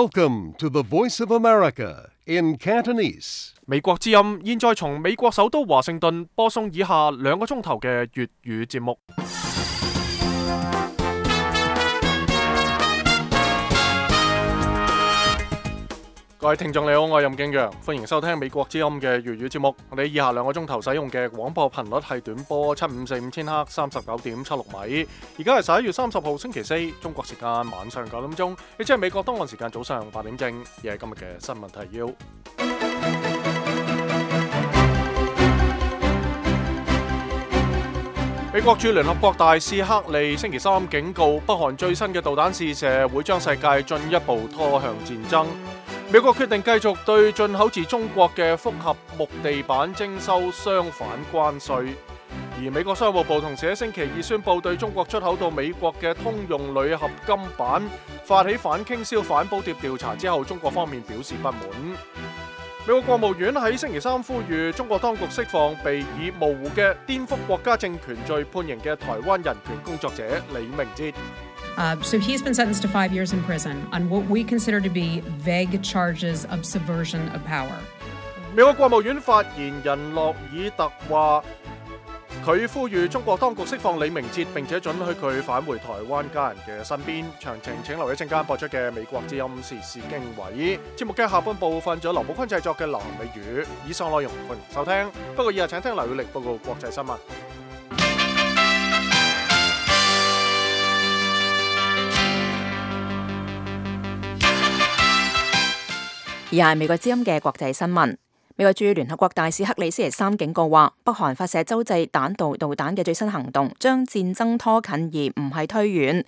Welcome to the Voice of America in Cantonese. 美國之音現在從美國首都華盛頓播送以下2個鐘頭嘅粵語節目。各位聽眾你好，我係任敬陽，歡迎收聽美國之音嘅粵語節目。我哋以下2個鐘頭使用嘅廣播頻率係短波7545千赫 39.76 米。而家係11月30號星期四，中國時間晚上9點鐘，亦即係美國東岸時間早上8點正。而係今日嘅新聞提要。美國駐聯合國大使克利星期三警告，北韓最新嘅導彈試射會將世界進一步拖向戰爭。美國決定繼續對進口自中國嘅複合木地板徵收相反關稅，而美國商務部同時喺星期二宣布對中國出口到美國嘅通用鋁合金板發起反傾銷反補貼調查之後，中國方面表示不滿。美國國務院喺星期三呼籲中國當局釋放被以模糊嘅顛覆國家政權罪判刑嘅台灣人權工作者李明哲。So he's been sentenced to 5 years in prison on what we consider to be vague charges of subversion of power. 美國國務院發言人洛爾特話，佢呼籲中國當局釋放李明哲，並且准許佢返回台灣家人嘅身邊。詳情請留意一陣間播出嘅美國之音時事經緯節目嘅下半部分，仲有劉寶坤製作嘅南美語。以上內容歡迎收聽。不過以下請聽劉宇力報告國際新聞。以下係美國之音嘅國際新聞。美國駐聯合國大使克里星期三警告話，北韓發射洲際彈道導彈嘅最新行動將戰爭拖近而唔係推遠。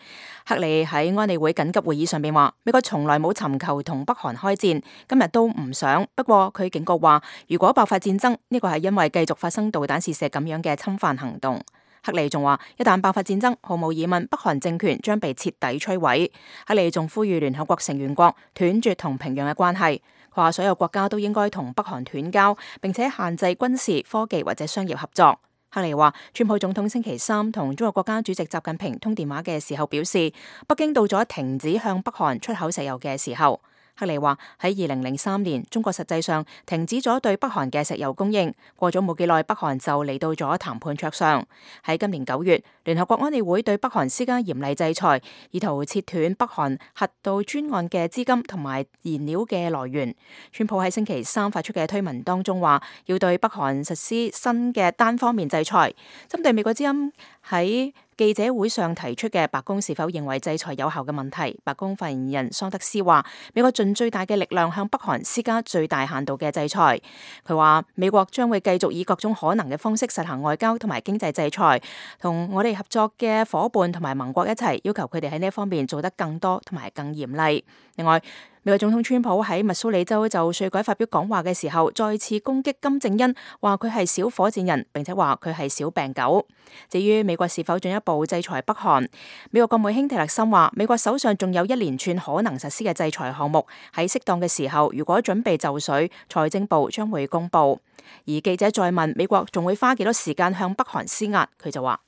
克里喺安理會緊急會議上面話，美國從來冇尋求同北韓開戰，今日都唔想。不過佢警告話，如果爆發戰爭，呢個係因為繼續發生導彈試射咁樣嘅侵犯行動。克里仲話，一旦爆發戰爭，毫無疑問，北韓政權將被徹底摧毀。克里仲呼籲聯合國成員國斷絕同平壤嘅關係。佢話所有國家都應該同北韓斷交，並且限制軍事、科技或者商業合作。克里話，川普總統星期三同中國國家主席習近平通電話嘅時候表示，北京到咗停止向北韓出口石油嘅時候。克里話喺2003年，中國實際上停止咗對北韓嘅石油供應。過咗冇幾耐，北韓就嚟到咗談判桌上。喺今年9月，聯合國安理會對北韓施加嚴厲制裁，意圖切斷北韓核導專案嘅資金同埋燃料嘅來源。川普喺星期三發出嘅推文當中話，要對北韓實施新嘅單方面制裁。針對美國之音喺記者會上提出嘅白宮是否認為制裁有效嘅問題，白宮發言人桑德斯話，美國盡最大嘅力量向北韓施加最大限度嘅制裁。佢話美國將會繼續以各種可能嘅方式實行外交同埋經濟制裁，同我哋合作嘅夥伴同埋盟國一齊要求佢哋喺呢一方面做得更多同埋更嚴厲。另外，美國總統川普喺密蘇里州就稅改發表講話嘅時候，再次攻擊金正恩，話佢係小火箭人，並且話佢係小病狗。至於美國是否進一步制裁北韓，美國國務卿蒂勒森話，美國手上仲有一連串可能實施嘅制裁項目，喺適當嘅時候，如果準備就緒，財政部將會公布。而記者再問美國仲會花幾多時間向北韓施壓，佢就話，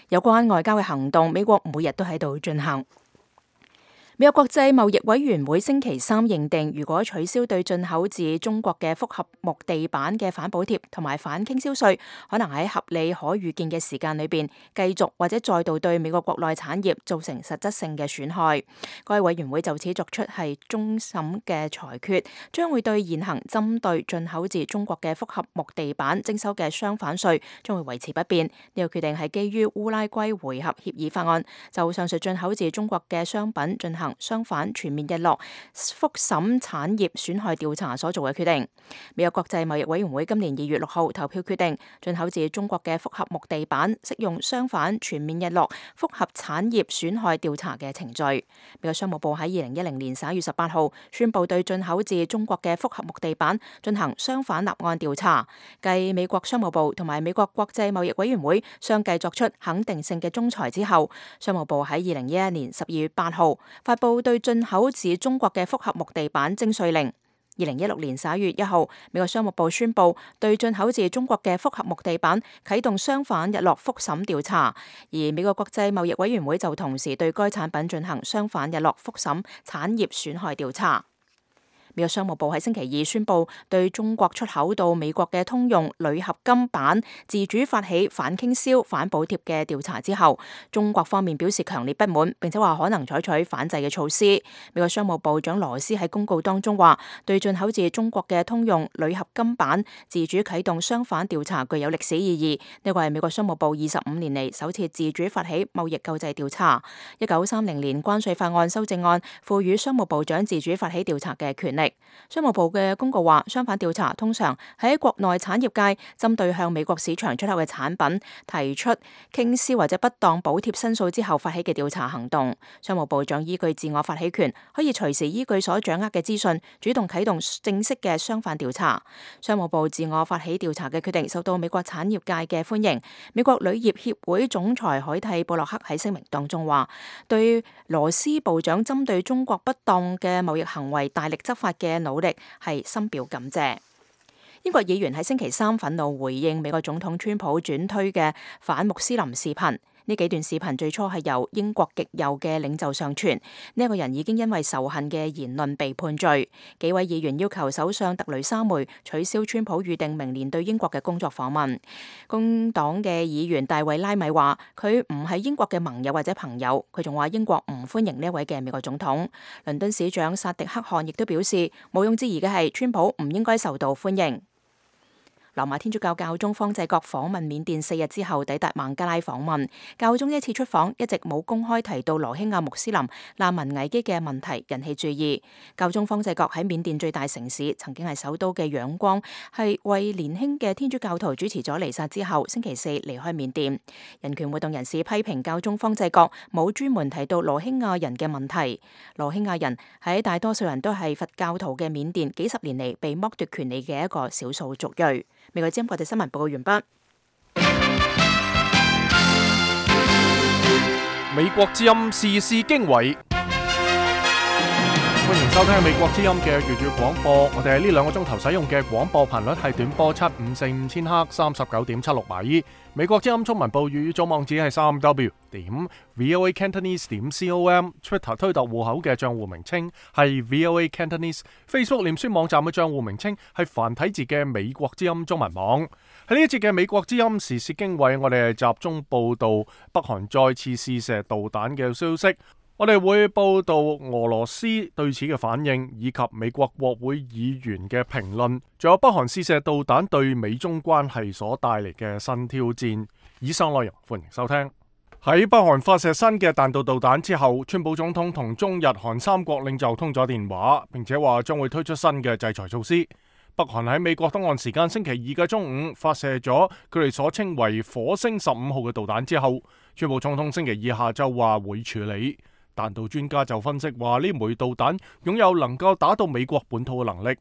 有關外交嘅行動，美國每日都喺度進行。美國國際貿易委員會星期三認定，如果取消對進口自中國嘅複合木地板嘅反補貼同埋反傾銷稅，可能喺合理可預見嘅時間裏邊繼續或者再度對美國國內產業造成實質性嘅損害。該委員會就此作出係終審嘅裁決，將會對現行針對進口自中國嘅複合木地板徵收嘅相反稅將會維持不變。呢個決定係基於烏拉圭回合協議法案就上述進口自中國嘅商品進行相反全面日落複審產業損害調查所做嘅決定。美國國際貿易委員會今年2月6號投票決定，進口自中國嘅複合木地板適用相反全面日落複合產業損害調查嘅程序。美國商務部喺2010年11月18號宣布對進口自中國嘅複合木地板進行相反立案調查。繼美國商務部同埋美國國際貿易委員會相繼作出肯定性嘅仲裁之後，商務部喺2011年12月8號發布對進口自中國嘅複合木地板徵稅令。2016年11月1號，美國商務部宣布對進口自中國嘅複合木地板啟動相反日落覆審調查，而美國國際貿易委員會就同時對該產品進行相反日落覆審產業損害調查。美國商務部喺星期二宣布對中國出口到美國嘅通用鋁合金板自主發起反傾銷、反補貼嘅調查之後，中國方面表示強烈不滿，並且話可能採取反制嘅措施。美國商務部長羅斯喺公告當中話，對進口自中國嘅通用鋁合金板自主啟動相反調查具有歷史意義。呢個係美國商務部25年嚟首次自主發起貿易救濟調查。1930年關稅法案修正案賦予商務部長自主發起調查嘅權力。商務部嘅公告話，相反調查通常喺國內產業界針對向美國市場出口嘅產品提出傾銷或者不當補貼申訴之後發起嘅調查行動。商務部長依據自我發起權，可以隨時依據所掌握嘅資訊，主動啟動正式嘅相反調查。商務部自我發起調查嘅決定受到美國產業界嘅歡迎。美國鋁業協會總裁海蒂布洛克喺聲明當中話，對羅斯部長針對中國不當嘅貿易行為大力執法嘅努力係深表感謝。英國議員喺星期三憤怒回應美國總統川普轉推嘅反穆斯林視頻。呢幾段視頻最初係由英國極右嘅領袖上傳，呢一個人已經因為仇恨嘅言論被判罪。幾位議員要求首相特雷莎梅取消川普預定明年對英國嘅工作訪問。工黨嘅議員大衛拉米話，佢唔係英國嘅盟友或者朋友。佢仲話英國唔歡迎呢一位嘅美國總統。倫敦市長薩迪克汗亦都表示，毋庸置疑嘅係川普唔應該受到歡迎。羅馬天主教教宗方濟各訪問緬甸4日之後抵達孟加拉訪問。教宗呢次出訪一直冇公開提到羅興亞穆斯林難民危機嘅問題，引起注意。教宗方濟各喺緬甸最大城市，曾經係首都嘅仰光，係為年輕嘅天主教徒主持咗彌撒之後，星期四離開緬甸。人權活動人士批評教宗方濟各冇專門提到羅興亞人嘅問題。羅興亞人喺大多數人都係佛教徒嘅緬甸，幾十年嚟被剝奪權利嘅一個少數族裔。美國之音國際新聞報告完畢。美國之音時事經緯，歡迎收聽美國之音嘅粵語廣播。我哋喺呢2個鐘頭使用嘅廣播頻率係短波7545千赫39.76米。美國之音中文部粵語組網址係3w.voacantonese.com。 Twitter 推特戶口嘅賬戶名稱係 VOA Cantonese。 Facebook 臉書網站嘅賬戶名稱係繁體字嘅美國之音中文網。喺呢一節嘅美國之音時事經緯，我哋係集中報道北韓再次試射導彈嘅消息。我哋會報道俄羅斯對此嘅反應，以及美國國會議員嘅評論，仲有北韓試射導彈對美中關係所帶嚟嘅新挑戰。以上內容歡迎收聽。喺北韓發射新嘅彈道導彈之後，川普總統同中日韓3國領袖通咗電話，並且話將會推出新嘅制裁措施。北韓喺美國東岸時間星期2嘅中午發射咗佢哋所稱為火星15號嘅導彈之後，川普總統星期2下晝話會處理。彈道專家就分析話，呢枚導彈擁有能夠打到美國本土嘅能力。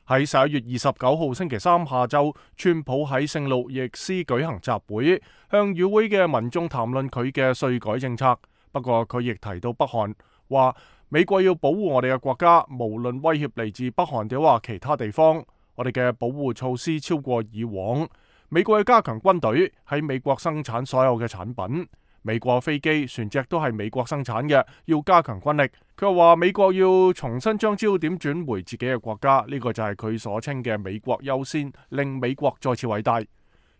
喺11月29號星期三下晝，川普喺聖路易斯舉行集會，向與會嘅民眾談論佢嘅稅改政策。不過佢亦提到北韓，話美國要保護我哋嘅國家，無論威脅嚟自北韓定話其他地方，我哋嘅保護措施超過以往。美國要加強軍隊，喺美國生產所有嘅產品。美國飛機、船隻都係美國生產嘅，要加強軍力。佢又話美國要重新將焦點轉回自己嘅國家，呢個就係佢所稱嘅美國優先，令美國再次偉大。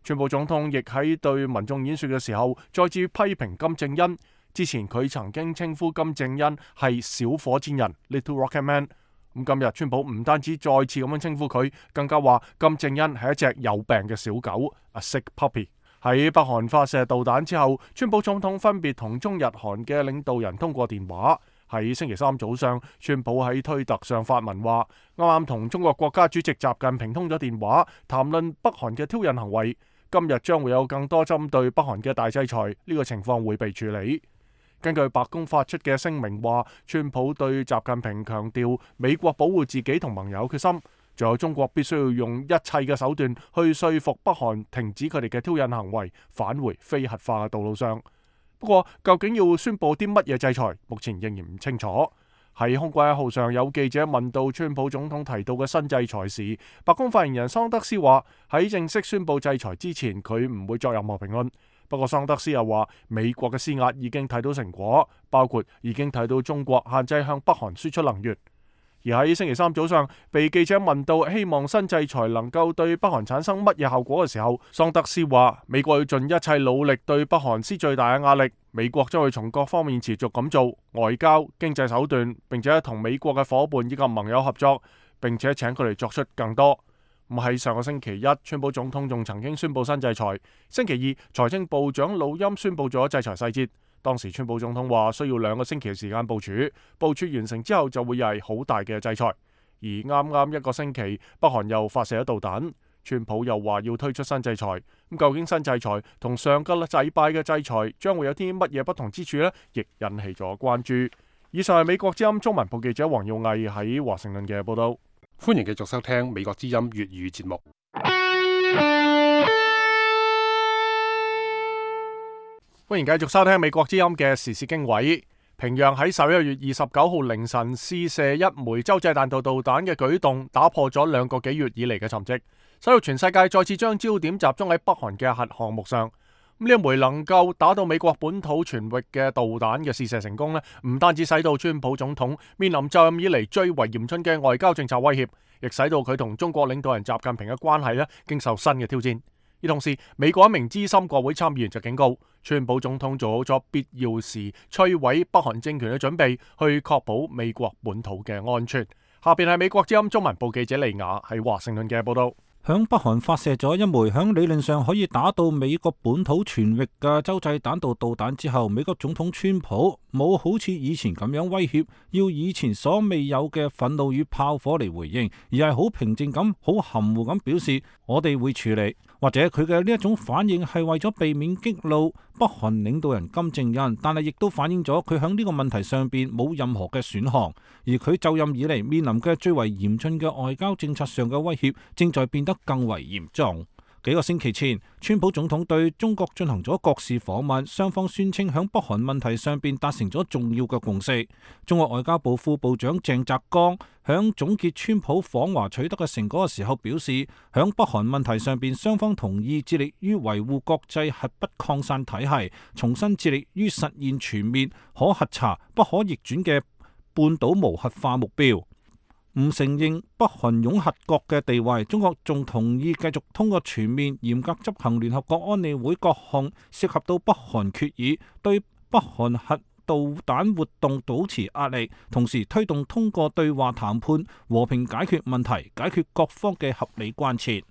川普總統亦喺對民眾演說嘅時候，再次批評金正恩。之前佢曾經稱呼金正恩係小火箭人 （Little Rocket Man）。咁今日川普唔單止再次咁樣稱呼佢，更加話金正恩係一隻有病嘅小狗 （A sick puppy）。喺北韓發射導彈之後，川普總統分別同中日韓嘅領導人通過電話。喺星期三早上，川普喺推特上發文話，啱啱同中國國家主席習近平通咗電話，談論北韓嘅挑釁行為。今日將會有更多針對北韓嘅大制裁，呢個情況會被處理。根據白宮發出嘅聲明話，川普對習近平強調美國保護自己同盟友決心。仲有中國必須要用一切嘅手段去說服北韓停止佢哋嘅挑釁行為，返回非核化嘅道路上。不過，究竟要宣佈啲乜嘢制裁，目前仍然唔清楚。喺空軍1號上有記者問到川普總統提到嘅新制裁時，白宮發言人桑德斯話喺正式宣布制裁之前，佢唔會作任何評論。不過桑德斯又話美國嘅施壓已經睇到成果，包括已經睇到中國限制向北韓輸出能源。而喺星期三早上，被記者問到希望新制裁能夠對北韓產生乜嘢效果嘅時候，桑德斯話美國要盡一切努力對北韓施最大嘅壓力，美國將會從各方面持續咁做外交、經濟手段，並且同美國嘅夥伴以及盟友合作，並且請佢哋作出更多。咁喺上個星期一，川普總統仲曾經宣布新制裁。星期二，財政部長魯欽宣布咗制裁細節。當時川普總統話需要2個星期嘅時間部署完成之後就會係好大嘅制裁。而啱啱1個星期，北韓又發射咗導彈，川普又話要推出新制裁。咁究竟新制裁同上個禮拜嘅制裁將會有啲乜嘢不同之處呢？亦引起咗關注。以上係美國之音中文部記者黃耀毅喺華盛頓嘅報道。歡迎繼續收聽美國之音粵語節目。歡迎繼續收聽美國之音嘅時事經緯。平壤喺11月29號凌晨試射一枚洲際彈道導彈嘅舉動，打破咗2個幾月以嚟嘅沉寂，使到全世界再次將焦點集中喺北韓嘅核項目上。呢一枚能夠打到美國本土全域嘅導彈嘅試射成功呢，唔單止使到川普總統面臨就任以嚟最為嚴峻嘅外交政策威脅，亦使到佢同中國領導人習近平嘅關係呢經受新嘅挑戰。而同時，美國一名資深國會參議員就警告，川普總統做好咗必要時摧毀北韓政權嘅準備，去確保美國本土嘅安全。下邊係美國之音中文部記者利亞喺華盛頓嘅報道。響北韓發射咗一枚響理論上可以打到美國本土全域嘅洲際彈道導彈之後，美國總統川普冇好似以前咁樣威脅，要以前所未有嘅憤怒與炮火嚟回應，而係好平靜咁、好含糊咁表示我哋會處理。或者佢嘅呢一種反應係為咗避免激怒北韓領導人金正恩，但係亦都反映咗佢響呢個問題上邊冇任何嘅選項，而佢就任以嚟面臨嘅最為嚴峻嘅外交政策上嘅威脅正在變得更為嚴重。幾個星期前，川普總統對中國進行咗國事訪問，雙方宣稱響北韓問題上邊達成咗重要嘅共識。中國外交部副部長鄭澤剛響總結川普訪華取得嘅成果嘅時候表示，響北韓問題上邊，雙方同意致力於維護國際核不擴散體系，重新致力於實現全面可核查、不可逆轉嘅半島無核化目標。唔承認北韓擁核國嘅地位，中國仲同意繼續通過全面嚴格執行聯合國安理會各項涉及到北韓決議，對北韓核導彈活動保持壓力，同時推動通過對話談判和平解決問題，解決各方嘅合理關切。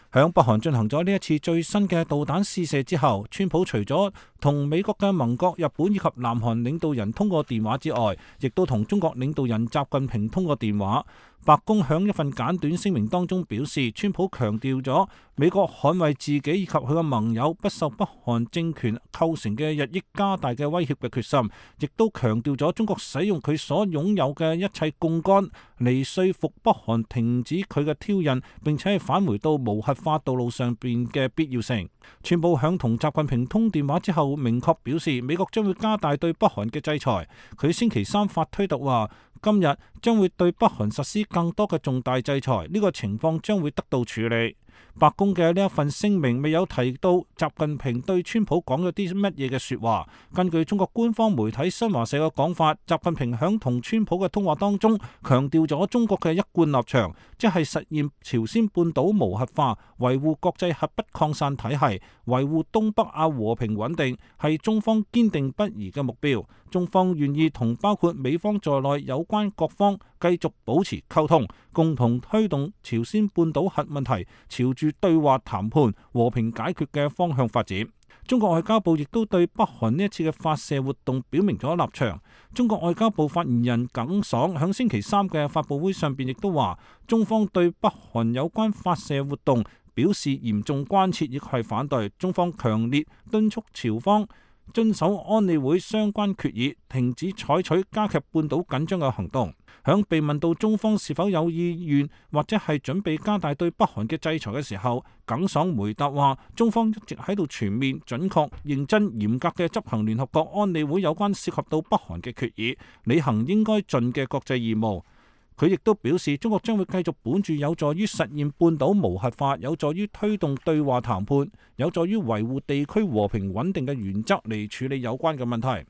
響北韓進行咗呢一次最新嘅導彈試射之後，川普除咗同美國嘅盟國日本以及南韓領導人通過電話之外，亦都同中國領導人習近平通過電話。白宮響一份簡短聲明當中表示，川普強調咗美國捍衛自己以及佢嘅盟友不受北韓政權構成嘅日益加大嘅威脅嘅決心，亦都強調咗中國使用佢所擁有嘅一切槓桿嚟說服北韓停止佢嘅挑釁，並且係返回到無核化道路上邊嘅必要性。川普響同習近平通電話之後，明確表示美國將會加大對北韓嘅制裁。佢星期三發推特話，今日將會對北韓實施更多嘅重大制裁，呢個情況將會得到處理。白宮嘅呢一份聲明未有提到習近平對川普講咗啲乜嘢嘅說話。根據中國官方媒體新華社嘅講法，習近平響同川普嘅通話當中強調咗中國嘅一貫立場，即係實現朝鮮半島無核化、維護國際核不擴散體系、維護東北亞和平穩定，係中方堅定不移嘅目標。中方願意同包括美方在內有關各方繼續保持溝通，共同推動朝鮮半島核問題朝住對話談判、和平解決嘅方向發展。中國外交部亦都對北韓呢一次嘅發射活動表明咗立場。中國外交部發言人耿爽響星期三嘅發佈會上邊亦都話，中方對北韓有關發射活動表示嚴重關切，亦係反對。中方強烈敦促朝方遵守安理會相關決議，停止採取加劇半島緊張嘅行動。響被問到中方是否有意願或者係準備加大對北韓嘅制裁嘅時候，耿爽回答話：中方一直喺度全面、準確、認真、嚴格嘅執行聯合國安理會有關涉及到北韓嘅決議，履行應該盡嘅國際義務。佢亦都表示，中國將會繼續本住有助於實現半島無核化、有助於推動對話談判、有助於維護地區和平穩定嘅原則嚟處理有關嘅問題。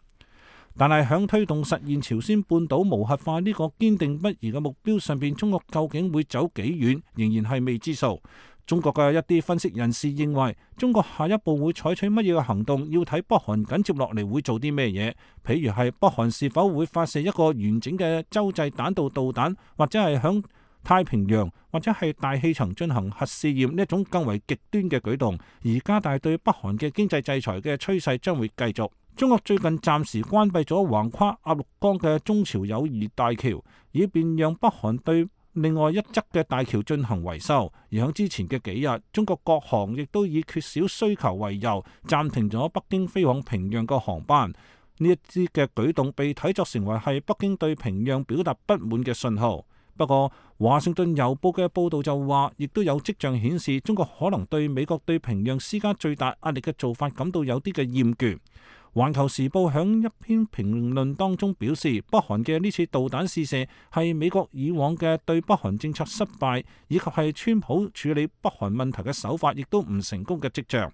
但係響推動實現朝鮮半島無核化呢個堅定不移嘅目標上邊，中國究竟會走幾遠，仍然係未知數。中國嘅一啲分析人士認為，中國下一步會採取乜嘢嘅行動，要睇北韓緊接落嚟會做啲咩嘢。譬如係北韓是否會發射一個完整嘅洲際彈道導彈，或者係響太平洋或者係大氣層進行核試驗呢一種更為極端嘅舉動，而加大對北韓嘅經濟制裁嘅趨勢將會繼續。中國最近暫時關閉咗橫跨鴨綠江嘅中朝友誼大橋，以便讓北韓對另外一側嘅大橋進行維修。而喺之前嘅幾日，中國國航亦都以缺少需求為由，暫停咗北京飛往平壤嘅航班。呢一啲嘅舉動被睇作成為係北京對平壤表達不滿嘅信號。不過，華盛頓郵報嘅報導就話，亦都有跡象顯示，中國可能對美國對平壤施加最大壓力嘅做法感到有啲嘅厭倦。環球時報響一篇評論當中表示，北韓嘅呢次導彈試射係美國以往嘅對北韓政策失敗，以及係川普處理北韓問題嘅手法亦都唔成功嘅跡象。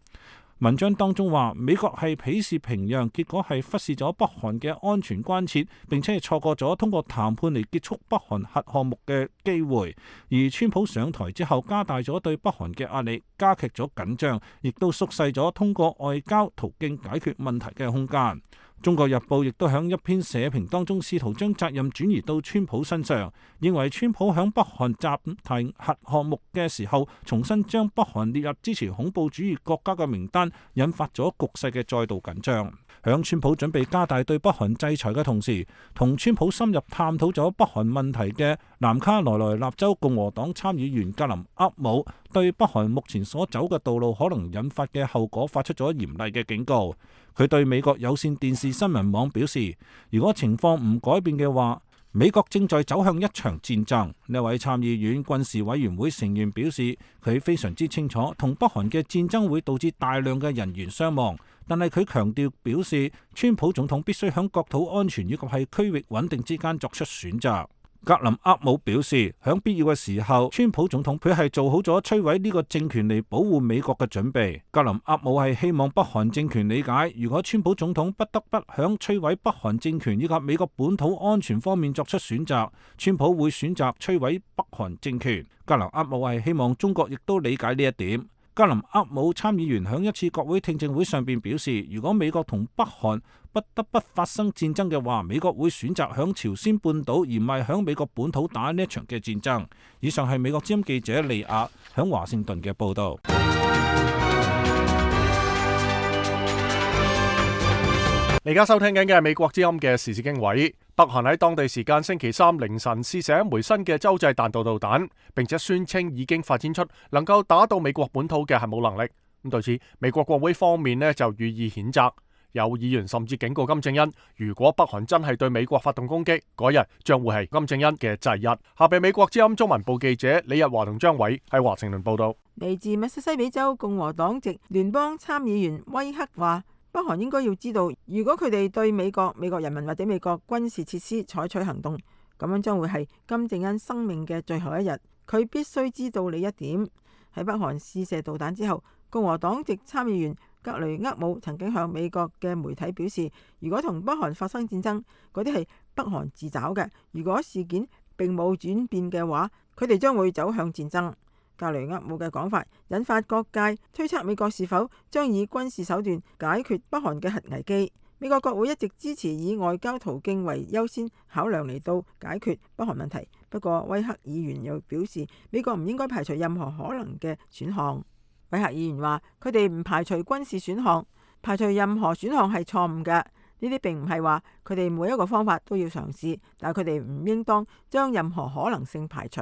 文章當中話，美國係鄙視平壤，結果係忽視咗北韓嘅安全關切，並且係錯過咗通過談判嚟結束北韓核項目嘅機會。而川普上台之後，加大咗對北韓嘅壓力，加劇咗緊張，亦都縮細咗通過外交途徑解決問題嘅空間。中國日報亦都喺一篇社評當中試圖將責任轉移到川普身上，認為川普喺北韓暫停核項目嘅時候，重新將北韓列入支持恐怖主義國家嘅名單，引發咗局勢嘅再度緊張。喺川普準備加大對北韓制裁嘅同時，同川普深入探討咗北韓問題嘅南卡羅來納州共和黨參議員格林厄姆，對北韓目前所走嘅道路可能引發嘅後果發出咗嚴厲嘅警告。佢對美國有線電視新聞網表示，如果情況唔改變嘅話，美國正在走向一場戰爭。呢位參議院軍事委員會成員表示，佢非常之清楚同北韓嘅戰爭會導致大量嘅人員傷亡，但係佢強調表示，川普總統必須喺國土安全以及係區域穩定之間作出選擇。格林厄姆表示，喺必要嘅時候，川普總統佢係做好咗摧毀呢個政權嚟保護美國嘅準備。格林厄姆係希望北韓政權理解，如果川普總統不得不響摧毀北韓政權以及美國本土安全方面作出選擇，川普會選擇摧毀北韓政權。格林厄姆係希望中國亦都理解呢一點。格林厄姆參議員響一次國會聽證會上邊表示，如果美國同北韓不得不發生戰爭嘅話，美國會選擇響朝鮮半島而唔係響美國本土打呢一場嘅戰爭。以上係美國之音記者利亞響華盛頓嘅報道。你而家收聽緊嘅係美國之音嘅時事經緯。北韓喺當地時間星期三凌晨試射一枚新嘅洲際彈道導彈，並且宣稱已經發展出能夠打到美國本土嘅核武能力。咁對此，美國國會方面就予以譴責。有議員甚至警告金正恩，如果北韓真係對美國發動攻擊，嗰日將會係金正恩嘅忌日。下邊美國之音中文部記者李日華同張偉喺華盛頓報道。嚟自密西西比州共和黨籍聯邦參議員威克話，北韓應該要知道，如果佢哋對美國人民或者美國軍事設施採取行動，咁樣將會係金正恩生命嘅最後一日。佢必須知道呢一點。喺北韓試射導彈之後，共和黨籍參議員格雷厄姆曾經向美國嘅媒體表示，如果同北韓發生戰爭，嗰啲係北韓自找嘅。如果事件並冇轉變嘅話，佢哋將會走向戰爭。格雷厄姆嘅講法引發各界推測美國是否將以軍事手段解決北韓嘅核危機。美國國會一直支持以外交途徑為優先考量嚟到解決北韓問題。不過威克議員又表示，美國唔應該排除任何可能嘅選項。威克議員話，佢哋唔排除軍事選項，排除任何選項係錯誤嘅。呢啲並唔係話佢哋每一個方法都要嘗試，但係佢哋唔應當將任何可能性排除。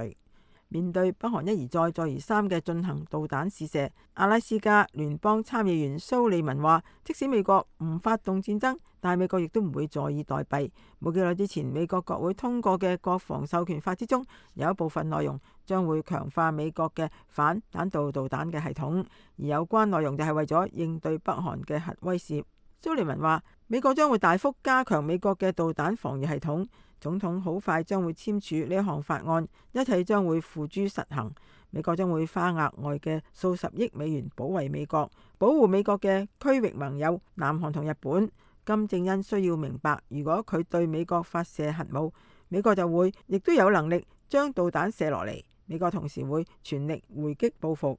面對北韓一而再再而三嘅進行導彈試射，阿拉斯加聯邦參議員蘇利文話，即使美國唔發動戰爭，但係美國亦都唔會坐以待斃。冇幾耐之前，美國國會通過嘅國防授權法之中，有一部分內容將會強化美國嘅反彈道導彈嘅系統，而有關內容就係為咗應對北韓嘅核威懾。蘇利文話，美國將會大幅加強美國嘅導彈防禦系統，總統好快將會簽署呢一項法案，一切將會付諸實行。美國將會花額外嘅數十億美元保衛美國，保護美國嘅區域盟友南韓同日本。金正恩需要明白，如果佢對美國發射核武，美國就會亦都有能力將導彈射落嚟。美國同時會全力回擊報復。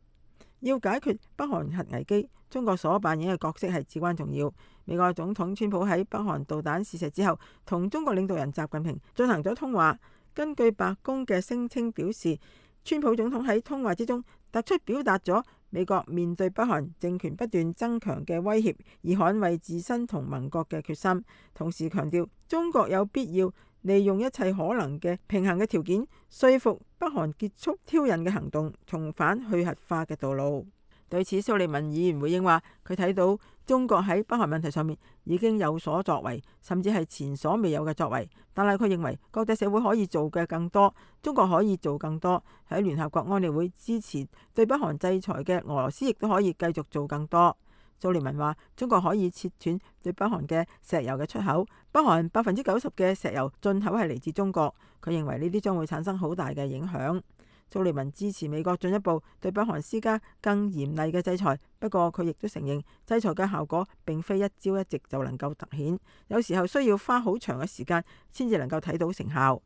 要解決北韓核危機，中國所扮演嘅角色係至關重要。美國總統川普喺北韓導彈試射之後，同中國領導人習近平進行咗通話。根據白宮嘅聲稱表示，川普總統喺通話之中突出表達咗美國面對北韓政權不斷增強嘅威脅而捍衛自身同盟國嘅決心，同時強調中國有必要利用一切可能嘅平衡嘅條件，說服北韓結束挑釁嘅行動，重返去核化嘅道路。對此，蘇利文議員回應話，佢睇到中國喺北韓問題上面已經有所作為，甚至係前所未有嘅作為。但係佢認為國際社會可以做嘅更多，中國可以做更多。喺聯合國安理會支持對北韓制裁嘅俄羅斯亦都可以繼續做更多。蘇利文話，中國可以切斷對北韓嘅石油嘅出口，北韓90%嘅石油進口係嚟自中國。佢認為呢啲將會產生好大嘅影響。蘇利文支持美國進一步對北韓施加更嚴厲嘅制裁，不過佢亦都承認制裁嘅效果並非一朝一夕就能夠凸顯，有時候需要花好長嘅時間先至能夠睇到成效。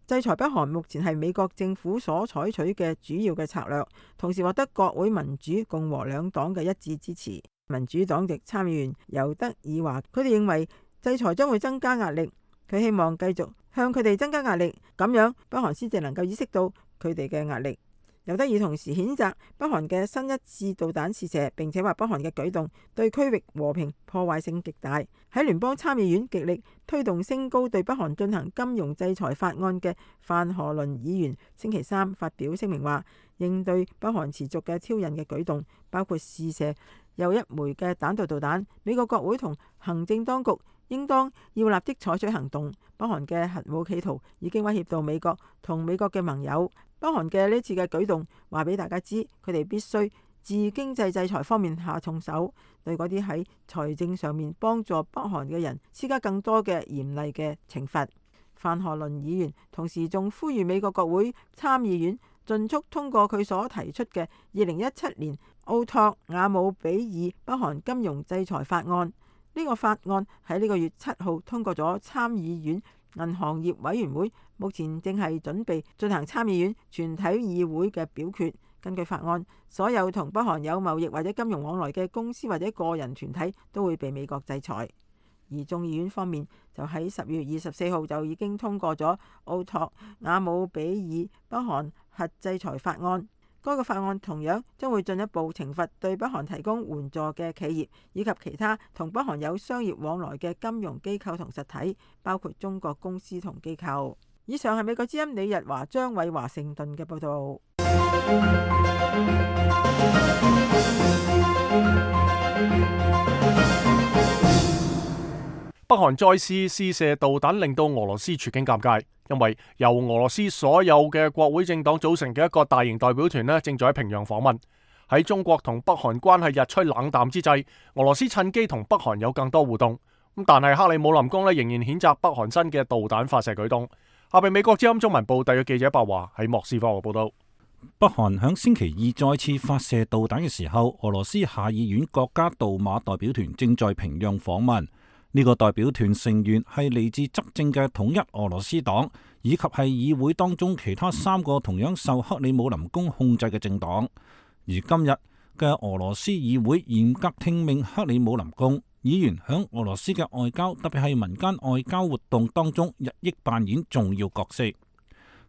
制裁北韓目前係美國政府所採取嘅主要嘅策略，同時獲得國會民主共和兩黨嘅一致支持。民主黨籍參議員尤德爾話，佢哋認為制裁將會增加壓力，佢希望繼續向佢哋增加壓力，咁樣北韓先至能夠意識到佢哋嘅壓力。尤德爾同時譴責北韓嘅新一次導彈試射，並且話北韓嘅舉動對區域和平破壞性極大。喺聯邦參議院極力推動升高對北韓進行金融制裁法案嘅范荷倫議員星期三發表聲明話，應對北韓持續嘅挑釁嘅舉動，包括試射又一枚嘅彈道導彈，美國國會同行政當局應當要立即採取行動。北韓嘅核武企圖已經威脅到美國同美國嘅盟友。北韓嘅呢次嘅舉動話俾大家知，佢哋必須自經濟制裁方面下重手，對嗰啲喺財政上面幫助北韓嘅人施加更多嘅嚴厲嘅懲罰。范荷倫議員同時仲呼籲美國國會參議院盡速通過佢所提出嘅2017年奧托瓦姆比爾北韓金融制裁法案。呢個法案喺呢個月7號通過咗參議院銀行業委員會，目前正係準備進行參議院全體議會嘅表決。根據法案，所有同北韓有貿易或者金融往來嘅公司或者個人團體都會被美國制裁。而眾議院方面就喺10月24號就已經通過咗奧托瓦姆比爾北韓核制裁法案。該個法案同樣將會進一步懲罰對北韓提供援助嘅企業，以及其他同北韓有商業往來嘅金融機構同實體，包括中國公司同機構。以上係美國之音李日華、張偉華盛頓嘅報道。北韓再次試射導彈，令到俄羅斯處境尷尬，因為由俄羅斯所有嘅國會政黨組成嘅一個大型代表團正在喺平壤訪問。喺中國同北韓關係日趨冷淡之際，俄羅斯趁機同北韓有更多互動。但係克里姆林宮仍然譴責北韓新嘅導彈發射舉動。下邊美國之音中文部特約記者白華喺莫斯科嘅報道。北韓響星期二再次發射導彈嘅時候，俄羅斯下議院國家杜馬代表團正在平壤訪問。呢個代表團成員係嚟自執政嘅統一俄羅斯黨，以及係議會當中其他3個同樣受克里姆林宮控制嘅政黨。而今日嘅俄羅斯議會嚴格聽命克里姆林宮，議員響俄羅斯嘅外交，特別係民間外交活動當中日益扮演重要角色。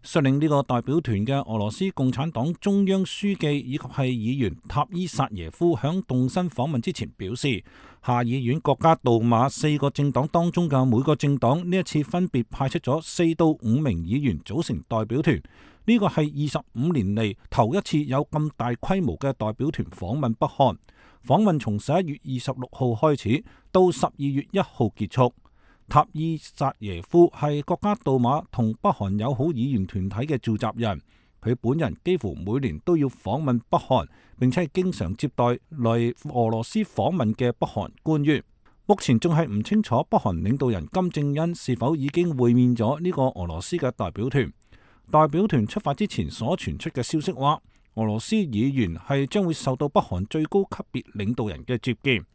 率領呢個代表團嘅俄羅斯共產黨中央書記以及係議員塔伊薩耶夫響動身訪問之前表示，下議院國家杜馬4個政黨當中嘅每個政黨呢一次分別派出咗4到5名議員組成代表團，呢個係25年嚟頭一次有咁大規模嘅代表團訪問北韓。訪問從11月26號開始到12月1號結束。塔伊薩耶夫係國家杜馬同北韓友好議員團體嘅召集人，佢本人幾乎每年都要訪問北韓，並且係經常接待嚟俄羅斯訪問嘅北韓官員。目前仲係唔清楚北韓領導人金正恩是否已經會面咗呢個俄羅斯嘅代表團。代表團出發之前所傳出嘅消息話，俄羅斯議員係將會受到北韓最高級別領導人嘅接見。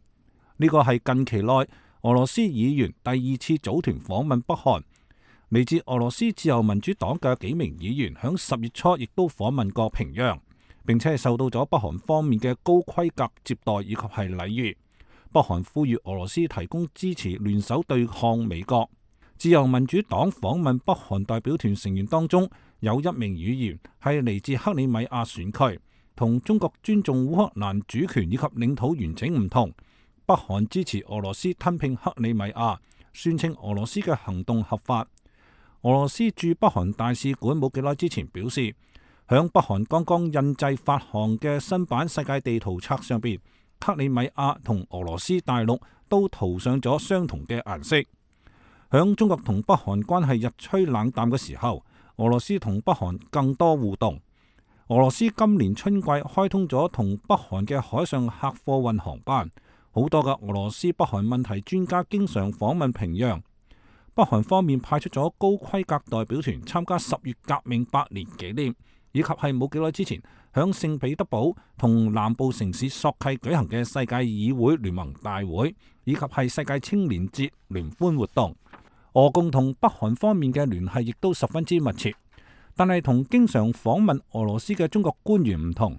呢個係近期內俄羅斯議員第2次組團訪問北韓。嚟自俄羅斯自由民主黨嘅幾名議員響10月初亦都訪問過平壤，並且係受到咗北韓方面嘅高規格接待以及係禮遇。北韓呼籲俄羅斯提供支持，聯手對抗美國。自由民主黨訪問北韓代表團成員當中有1名議員係嚟自克里米亞選區，同中國尊重烏克蘭主權以及領土完整唔同。北韓支持俄羅斯吞併克里米亞，宣稱俄羅斯嘅行動合法。俄羅斯駐北韓大使館冇幾耐之前表示，響北韓剛剛印製發行嘅新版世界地圖冊上邊，克里米亞同俄羅斯大陸都塗上咗相同嘅顏色。響中國同北韓關係日趨冷淡嘅時候，俄羅斯同北韓更多互動。俄羅斯今年春季開通咗同北韓嘅海上客貨運航班。好多嘅俄羅斯北韓問題專家經常訪問平壤。北韓方面派出咗高規格代表團參加10月革命100年紀念，以及係冇幾耐之前響聖彼得堡同南部城市索契舉行嘅世界議會聯盟大會，以及係世界青年節聯歡活動。俄共同北韓方面嘅聯繫亦都十分之密切，但係同經常訪問俄羅斯嘅中國官員唔同。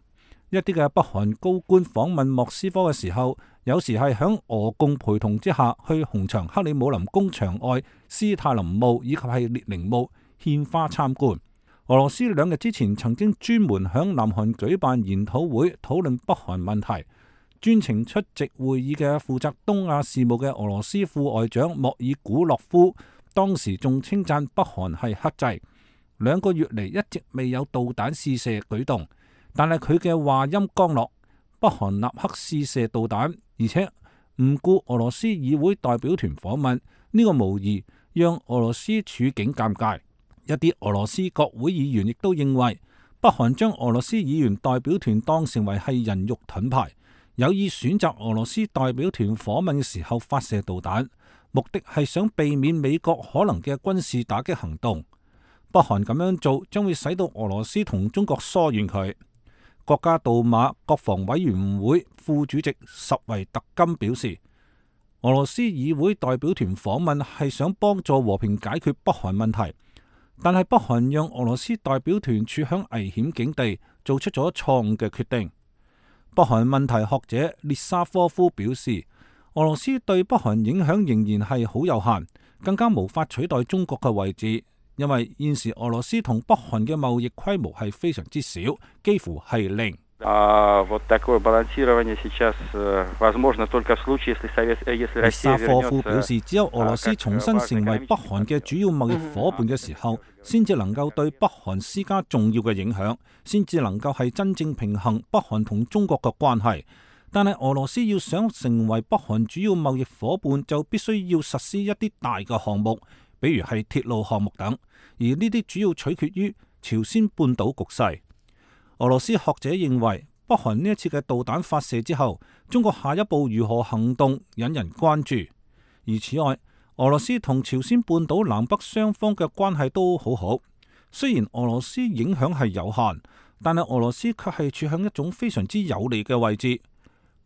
一啲嘅北韓高官訪問莫斯科嘅時候，有時係響俄共陪同之下去紅場克里姆林宮牆外斯泰林墓以及係列寧墓獻花參觀。俄羅斯2日之前曾經專門響南韓舉辦研討會討論北韓問題，專程出席會議嘅負責東亞事務嘅俄羅斯副外長莫爾古諾夫當時仲稱讚北韓係克制，2個月嚟一直未有導彈試射舉動。但係佢嘅話音剛落，北韓立刻試射導彈，而且唔顧俄羅斯議會代表團訪問，呢個無疑讓俄羅斯處境尷尬。一啲俄羅斯國會議員亦都認為，北韓將俄羅斯議員代表團當成為係人肉盾牌，有意選擇俄羅斯代表團訪問嘅時候發射導彈，目的係想避免美國可能嘅軍事打擊行動。北韓咁樣做將會使到俄羅斯同中國疏遠佢。國家杜馬國防委員會副主席什維特金表示，俄羅斯議會代表團訪問係想幫助和平解決北韓問題，但係北韓讓俄羅斯代表團處響危險境地，做出咗錯誤嘅決定。北韓問題學者列沙科夫表示，俄羅斯對北韓影響仍然係好有限，更加無法取代中國嘅位置。因為現時俄羅斯同北韓嘅貿易規模係非常之少，幾乎係零。列沙科夫表示，只有俄羅斯重新成為北韓嘅主要貿易夥伴嘅時候，先至能夠對北韓施加重要嘅影響，先至能夠係真正平衡北韓同中國嘅關係。但係俄羅斯要想成為北韓主要貿易夥伴，就必須要實施一啲大嘅項目。比如係鐵路項目等，而呢啲主要取決於朝鮮半島局勢。俄羅斯學者認為，北韓呢一次嘅導彈發射之後，中國下一步如何行動引人關注。而此外，俄羅斯同朝鮮半島南北雙方嘅關係都好好，雖然俄羅斯影響係有限，但係俄羅斯卻係處喺一種非常之有利嘅位置。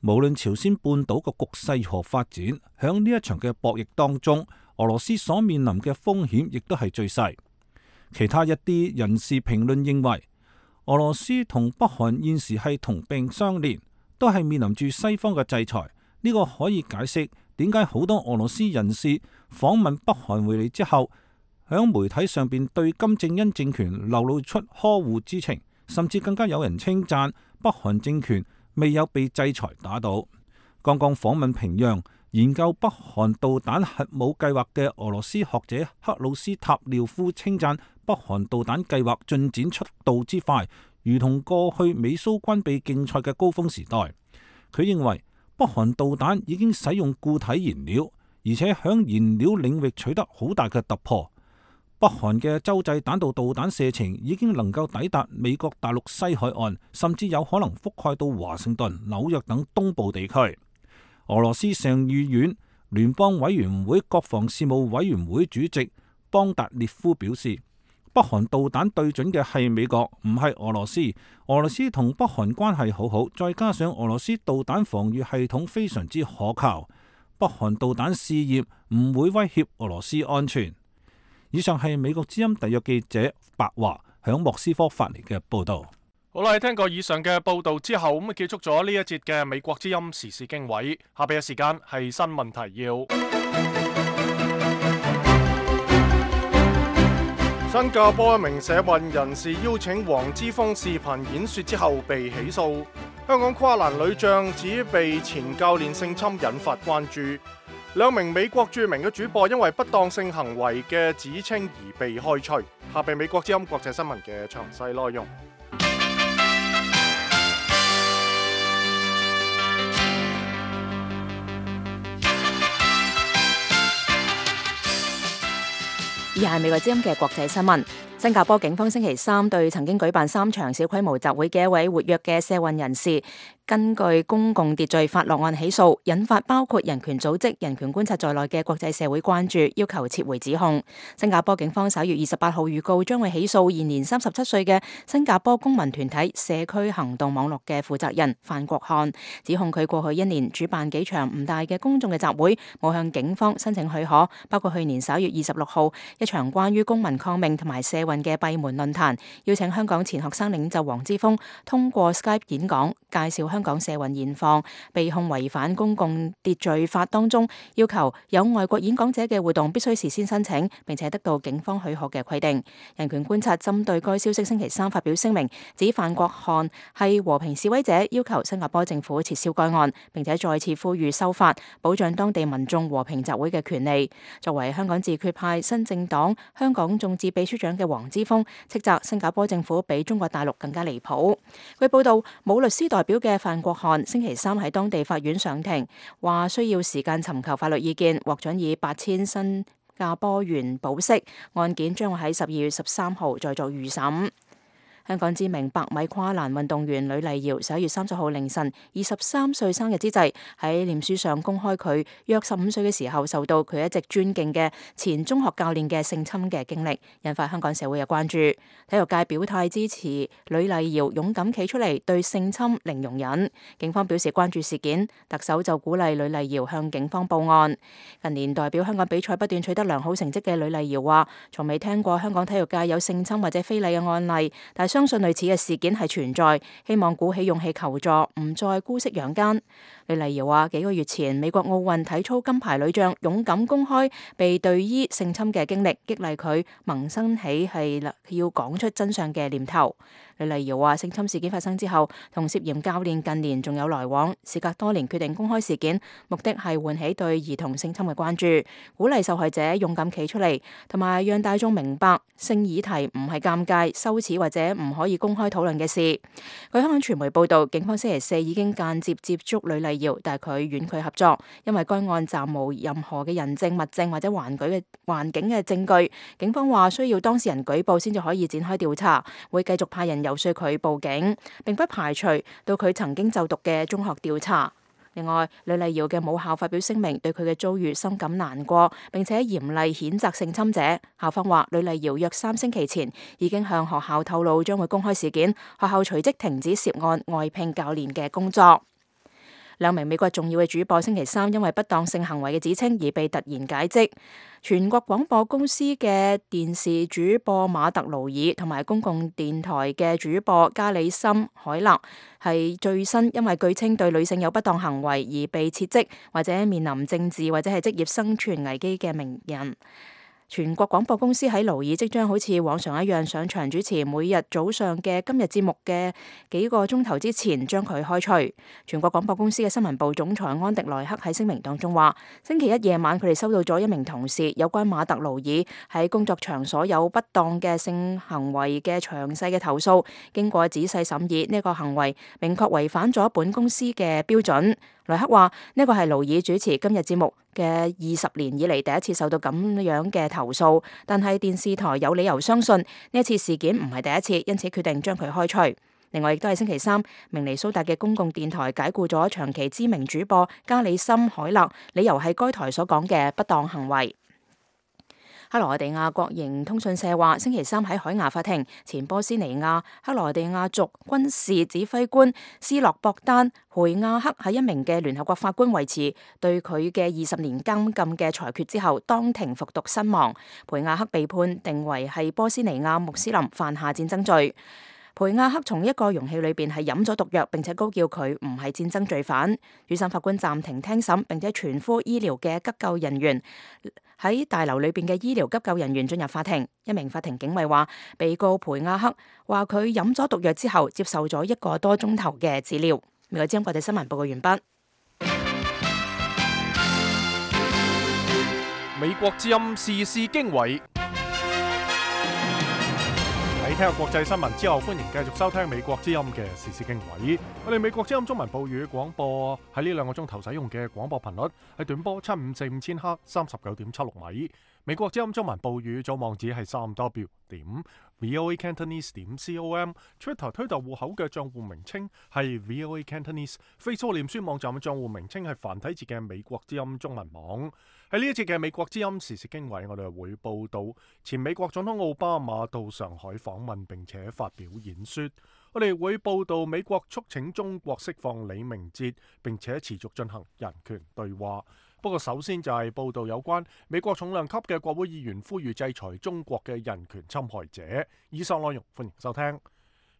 無論朝鮮半島嘅局勢如何發展，響呢一場嘅博弈當中，俄羅斯所面臨嘅風險亦都係最細。其他一啲人士評論認為，俄羅斯同北韓現時係同病相憐，都係面臨住西方嘅制裁。呢個可以解釋點解好多俄羅斯人士訪問北韓回嚟之後，響媒體上邊對金正恩政權流露出呵護之情，甚至更加有人稱讚北韓政權未有被制裁打倒。剛剛訪問平壤研究北韓導彈核武計劃嘅俄羅斯學者克魯斯塔廖夫稱讚北韓導彈計劃進展速度之快，如同過去美蘇軍備競賽嘅高峰時代。佢認為北韓導彈已經使用固體燃料，而且響燃料領域取得好大嘅突破。北韓嘅洲際彈道導彈射程已經能夠抵達美國大陸西海岸，甚至有可能覆蓋到華盛頓、紐約等東部地區。俄羅斯上議院聯邦委員會國防事務委員會主席邦達列夫表示，北韓導彈對準嘅係美國，唔係俄羅斯。俄羅斯同北韓關係好好，再加上俄羅斯導彈防禦系統非常之可靠，北韓導彈試驗唔會威脅俄羅斯安全。以上係美國之音特約記者白華響莫斯科發嚟嘅報道。好啦，聽過以上嘅報道之後，咁結束咗呢一節嘅美國之音時事經緯。下邊嘅時間係新聞提要。新加坡一名社運人士邀請黃之鋒視頻演說之後被起訴。香港跨欄女將指被前教練性侵引發關注。兩名美國著名嘅主播因為不當性行為嘅指稱而被開除。下邊美國之音國際新聞嘅詳細內容。以下係美國之音嘅國際新聞。新加坡警方星期三對曾經舉辦3場小規模集會嘅一位活躍嘅社運人士，根據公共秩序法落案起訴，引發包括人權組織、人權觀察在內嘅國際社會關注，要求撤回指控。新加坡警方11月28號預告將會起訴現年37歲嘅新加坡公民團體社區行動網絡嘅負責人范國漢，指控佢過去1年主辦幾場唔大嘅公眾嘅集會，冇向警方申請許可，包括去年11月26號一場關於公民抗命同埋社運嘅閉門論壇，邀請香港前學生領袖黃之鋒通過 Skype 演講，介紹香港社運現況，被控違反公共秩序法當中要求有外國演講者嘅活動必須事先申請，並且得到警方許可嘅規定。人權觀察針對該消息星期三發表聲明，指范國漢係和平示威者，要求新加坡政府撤銷該案，並且再次呼籲修法，保障當地民眾和平集會嘅權利。作為香港自決派新政黨香港眾志秘書長嘅黃之鋒斥責新加坡政府比中國大陸更加離譜。據報道，冇律師代表嘅范國漢星期三喺當地法院上庭，話需要時間尋求法律意見，獲准以8000新加坡元保釋，案件將會喺12月13號再作預審。香港知名百米跨欄運動員呂麗瑤11月30號凌晨23歲生日之際，喺臉書上公開佢約15歲嘅時候受到佢一直尊敬嘅前中學教練嘅性侵嘅經歷，引發香港社會嘅關注。體育界表態支持呂麗瑤勇敢企出嚟對性侵零容忍，警方表示關注事件，特首就鼓勵呂麗瑤向警方報案。近年代表香港比賽不斷取得良好成績嘅呂麗瑤話，從未聽過香港體育界有性侵或者非禮嘅案例，但相信類似嘅事件係存在，希望鼓起勇氣求助，唔再姑息養奸。呂麗瑤話，幾個月前美國奧運體操金牌女將勇敢公開被隊醫性侵嘅經歷，激勵佢萌生起係要講出真相嘅念頭。呂麗瑤話，性侵事件發生之後，同涉嫌教練近年仲有來往，事隔多年決定公開事件，目的係喚起對兒童性侵嘅關注，鼓勵受害者勇敢企出嚟，同埋讓大眾明白性議題唔係尷尬、羞恥或者唔可以公開討論嘅事。據香港傳媒報道，警方星期四已經間接接觸呂麗瑤，但係佢婉拒合作，因為該案暫無任何嘅人證、物證或者環境嘅證據。警方話需要當事人舉報先至可以展開調查，會繼續派人遊說佢報警，並不排除到佢曾經就讀嘅中學調查。另外，呂麗瑤嘅母校發表聲明，對佢嘅遭遇深感難過，並且嚴厲譴責性侵者。校方話，呂麗瑤約3星期前已經向學校透露將會公開事件，學校隨即停止涉案外聘教練嘅工作。兩名美國重要嘅主播星期三因為不當性行為嘅指稱而被突然解職。全國廣播公司嘅電視主播馬特勞爾同埋公共電台嘅主播加里森海勒係最新因為據稱對女性有不當行為而被撤職或者面臨政治或者係職業生存危機嘅名人。全國廣播公司喺勞爾即將好似往常一樣上場主持每日早上嘅今日節目嘅幾個鐘頭之前，將佢開除。全國廣播公司嘅新聞部總裁安迪萊克喺聲明當中話，星期一夜晚佢哋收到咗一名同事有關馬特勞爾喺工作場所有不當嘅性行為嘅詳細嘅投訴，經過仔細審議，呢個行為明確違反咗本公司嘅標準。萊克話呢個係勞爾主持今日節目嘅20年以嚟第一次受到咁樣嘅投訴，但係電視台有理由相信呢一次事件唔係第一次，因此決定將佢開除。另外亦都係星期三，明尼蘇達嘅公共電台解僱咗長期知名主播加里森海勒，理由係該台所講嘅不當行為。克羅地亞國營通訊社話，星期三喺海牙法庭，前波斯尼亞克羅地亞族軍事指揮官斯洛博丹培亞克喺一名嘅聯合國法官維持對佢嘅20年監禁嘅裁決之後，當庭服毒身亡。培亞克被判定為係波斯尼亞穆斯林犯下戰爭罪。培亞克從一個容器裏邊係飲咗毒藥，並且高叫佢唔係戰爭罪犯。主審法官暫停聽審，並且全科醫療嘅急救人員喺大樓裏邊嘅醫療急救人員進入法庭。一名法庭警衛話，被告培亞克話佢飲咗毒藥之後，接受咗1個多鐘頭嘅治療。美國之音國際新聞報告完畢。美國之音時事經緯。喺聽下國際新聞之後，歡迎繼續收聽美國之音嘅時事經緯。我哋美國之音中文報語廣播喺呢2個鐘頭使用嘅廣播頻率係短波7545千赫39.76米。美國之音中文報語總網址係3w.voacantonese.com。Twitter 推特戶口嘅賬戶名稱係 VOA Cantonese。Facebook 臉書網站嘅賬戶名稱係繁體字嘅美國之音中文網。喺呢一節嘅美國之音時事經緯，我哋會報道前美國總統奧巴馬到上海訪問並且發表演說。我哋會報道美國促請中國釋放李明哲，並且持續進行人權對話。不過首先就係報道有關美國重量級嘅國會議員呼籲制裁中國嘅人權侵害者。以上內容歡迎收聽。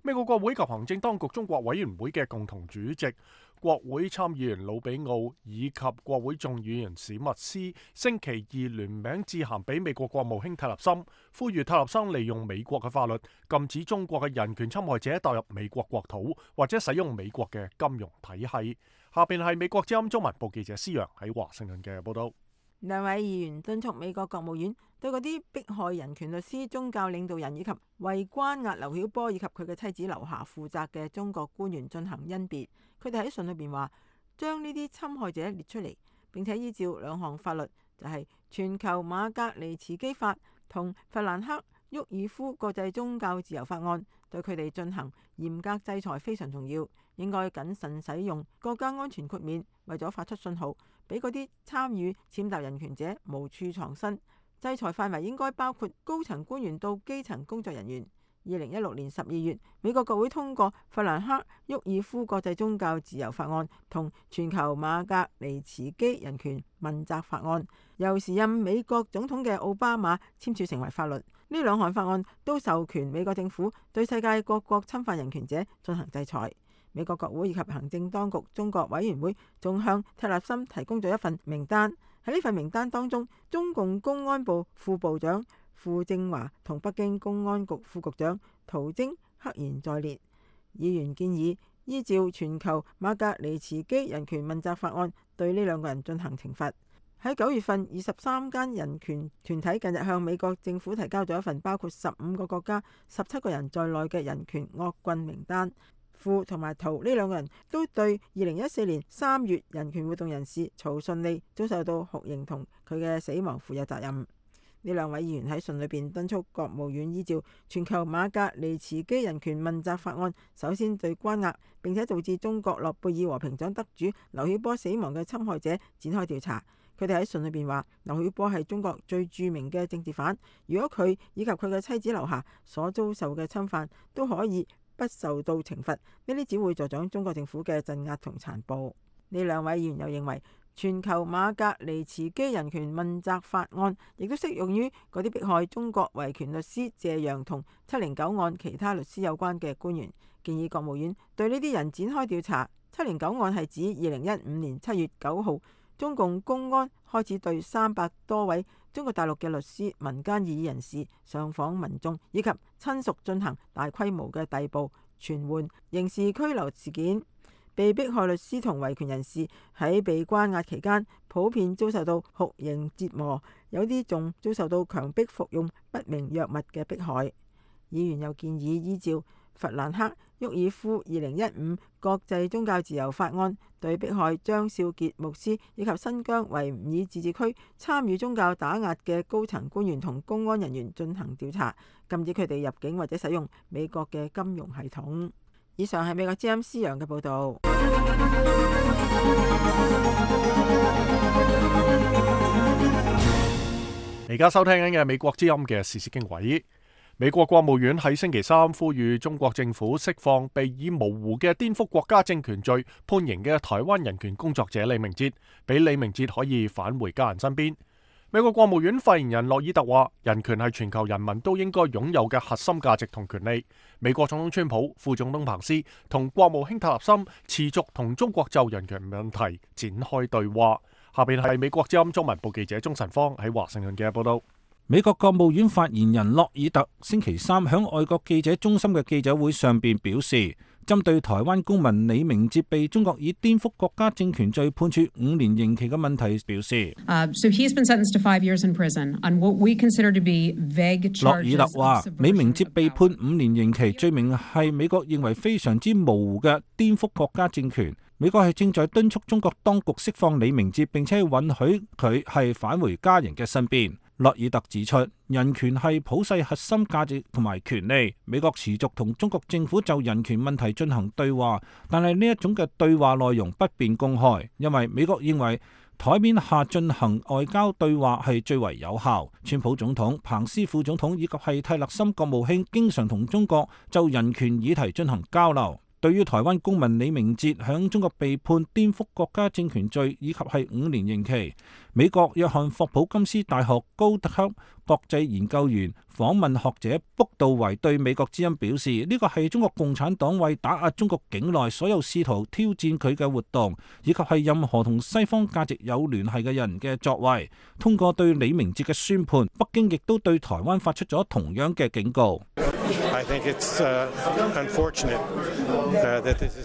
美國國會及行政當局中國委員會嘅共同主席、國會參議員魯比奧以及國會眾議員史密斯星期二聯名致函俾美國國務卿泰勒森，呼籲泰勒森利用美國嘅法律禁止中國嘅人權侵害者踏入美國國土或者使用美國嘅金融體系。下邊係美國之音中文部記者施洋喺華盛頓嘅報道。兩位議員敦促美國國務院對嗰啲迫害人權律師、宗教領導人以及為關押劉曉波以及佢嘅妻子劉霞負責嘅中國官員進行甄別。佢哋喺信裏邊話，將呢啲侵害者列出嚟，並且依照2項法律，就係全球馬格尼茨基法同弗蘭克沃爾夫國際宗教自由法案，對佢哋進行嚴格制裁非常重要。應該謹慎使用國家安全豁免，為咗發出信號，俾嗰啲參與踐踏人權者無處藏身。制裁範圍應該包括高層官員到基層工作人員。2016年12月，美國國會通過弗蘭克沃爾夫國際宗教自由法案同全球馬格尼茨基人權問責法案，由時任美國總統嘅奧巴馬簽署成為法律。呢2項法案都授權美國政府對世界各國侵犯人權者進行制裁。美國國會以及行政當局中國委員會仲向泰勒森提供咗一份名單。喺呢份名單當中，中共公安部副部長傅政華同北京公安局副局長陶晶赫然在列。議員建議依照全球馬格尼茨基人權問責法案對呢2個人進行懲罰。喺9月份，23間人權團體近日向美國政府提交咗一份包括15個國家、17個人在內嘅人權惡棍名單。傅同埋陶呢2個人都對2014年3月人權活動人士曹順利遭受到酷刑同佢嘅死亡負有責任。呢2位議員喺信裏邊敦促國務院依照全球馬格尼茨基人權問責法案，首先對關押並且導致中國諾貝爾和平獎得主劉曉波死亡嘅侵害者展開調查。佢哋喺信裏邊話，劉曉波係中國最著名嘅政治犯，如果佢以及佢嘅妻子劉霞所遭受嘅侵犯都可以不受到懲罰，呢啲只會助長中國政府嘅鎮壓同殘暴。呢2位議員又認為，全球馬格尼茨基人權問責法案亦都適用於嗰啲迫害中國維權律師謝陽同709案其他律師有關嘅官員，建議國務院對呢啲人展開調查。709案係指2015年7月9號，中共公安開始對300多位中國大陸嘅律師、民間異議人士上訪民眾以及親屬進行大規模嘅逮捕、傳喚、刑事拘留事件。被迫害律師同維權人士喺被關押期間，普遍遭受到酷刑折磨，有啲仲遭受到強迫服用不明藥物嘅迫害。議員又建議依照弗蘭克·沃爾夫2015國際宗教自由法案，對迫害張少傑牧師以及新疆維吾爾自治區參與宗教打壓嘅高層官員同公安人員進行調查，禁止佢哋入境或者使用美國嘅金融系統。以上係美國之音施陽嘅報導。而家收聽緊嘅美國之音嘅時事經緯。美國國務院喺星期三呼籲中國政府釋放被以模糊嘅顛覆國家政權罪判刑嘅台灣人權工作者李明哲，俾李明哲可以返回家人身邊。美國國務院發言人洛爾特話：人權係全球人民都應該擁有嘅核心價值同權利。美國總統川普、副總統彭斯同國務卿塔納森持續同中國就人權問題展開對話。下邊係美國之音中文部記者鍾晨芳喺華盛頓嘅報道。美國國務院發言人洛爾特星期三響外國記者中心嘅記者會上邊表示，針對台灣公民李明哲被中國以顛覆國家政權罪判處5年刑期嘅問題表示，So he's been sentenced to 5 years in prison on what we consider to be vague charges. 洛爾特話，李明哲被判5年刑期，罪名係美國認為非常之模糊嘅顛覆國家政權。美國係正在敦促中國當局釋放李明哲，並且允許佢係返回家人嘅身邊。洛爾特指出，人權係普世核心價值同埋權利。美國持續同中國政府就人權問題進行對話，但係呢一種嘅對話內容不便公開，因為美國認為台面下進行外交對話係最為有效。川普總統、彭斯副總統以及係蒂勒森國務卿經常同中國就人權議題進行交流。對於台灣公民李明哲響中國被判顛覆國家政權罪以及係5年刑期，美國約翰霍普金斯大學高級國際研究員訪問學者卜道維對美國之音表示，呢個係中國共產黨為打壓中國境內所有試圖挑戰佢嘅活動，以及係任何同西方價值有聯繫嘅人嘅作為。通過對李明哲嘅宣判，北京亦都對台灣發出咗同樣嘅警告。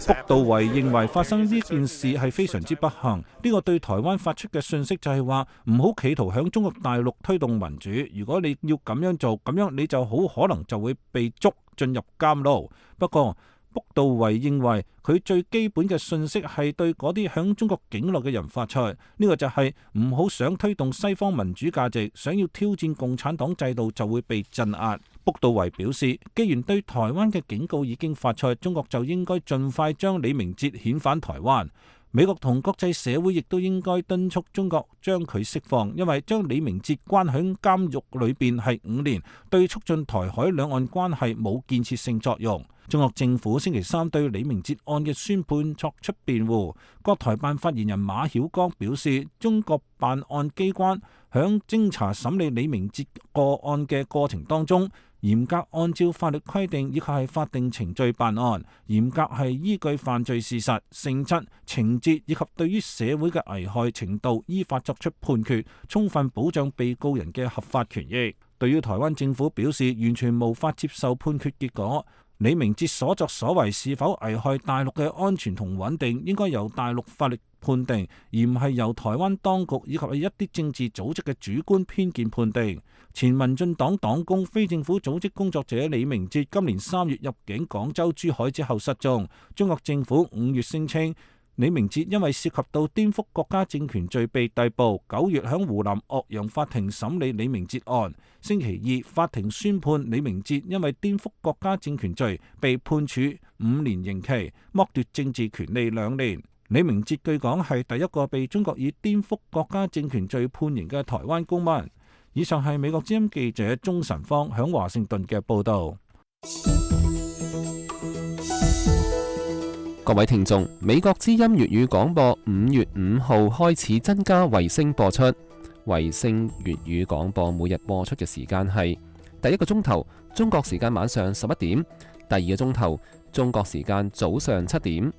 卜道維認為發生呢件事係非常之不幸，呢個對台灣發出嘅訊息就係話唔好企圖響中國大陸推動民主，如果你要咁樣做，咁樣你就好可能就會被捉進入監牢。不過卜道維認為佢最基本嘅訊息係對嗰啲響中國境內嘅人發出，呢個就係唔好想推動西方民主價值，想要挑戰共產黨制度就會被鎮壓。卜道維表示，既然對台灣嘅警告已經發出，中國就應該盡快將李明哲遣返台灣。美國同國際社會亦都應該敦促中國將佢釋放，因為將李明哲關喺監獄裏邊係5年，對促進台海兩岸關係冇建設性作用。中國政府星期三對李明哲案嘅宣判作出辯護。國台辦發言人馬曉光表示，中國辦案機關響偵查審理李明哲個案嘅過程當中，嚴格按照法律規定以及係法定程序辦案，嚴格係依據犯罪事實、性質、情節以及對於社會嘅危害程度依法作出判決，充分保障被告人嘅合法權益。對於台灣政府表示完全無法接受判決結果，李明哲所作所為是否危害大陸嘅安全同穩定，應該由大陸法律判定，而唔係由台灣當局以及一啲政治組織嘅主觀偏見判定。前民進黨黨工、非政府組織工作者李明哲今年3月入境廣州、珠海之後失蹤。中國政府5月聲稱李明哲因為涉及到顛覆國家政權罪被逮捕。9月響湖南岳陽法庭審理李明哲案。星期2法庭宣判李明哲因為顛覆國家政權罪被判處5年刑期，剝奪政治權利2年。李明哲據講係第一個被中國以顛覆國家政權罪判刑嘅台灣公民。以上係美國之音記者鍾晨芳響華盛頓嘅報道。各位聽眾，美國之音粵語廣播5月5號開始增加衛星播出。衛星粵語廣播每日播出嘅時間係第一個鐘頭中國時間晚上11點，第二個鐘頭中國時間早上7點。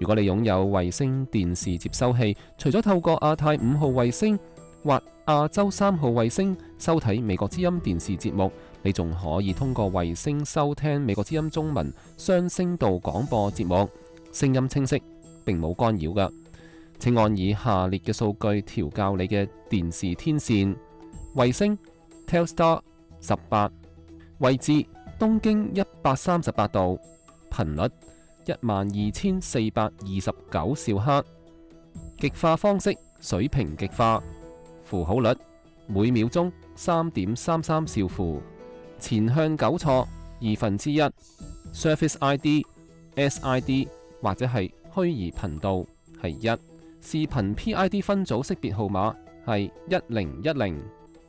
如果你擁有衛星電視接收器，除咗透過亞太5號衛星或亞洲3號衛星收睇美國之音電視節目，你仲可以通過衛星收聽美國之音中文雙聲道廣播節目，聲音清晰，並冇干擾㗎。請按以下列嘅數據調校你嘅電視天線：衛星 Telstar 18，位置東經138度，頻率12429兆赫，極化方式水平極化，符號率每秒鐘3.33兆符，前向糾錯1/2， Surface ID、SID 或者係虛擬頻道係1，視頻 PID 分組識別號碼係1010，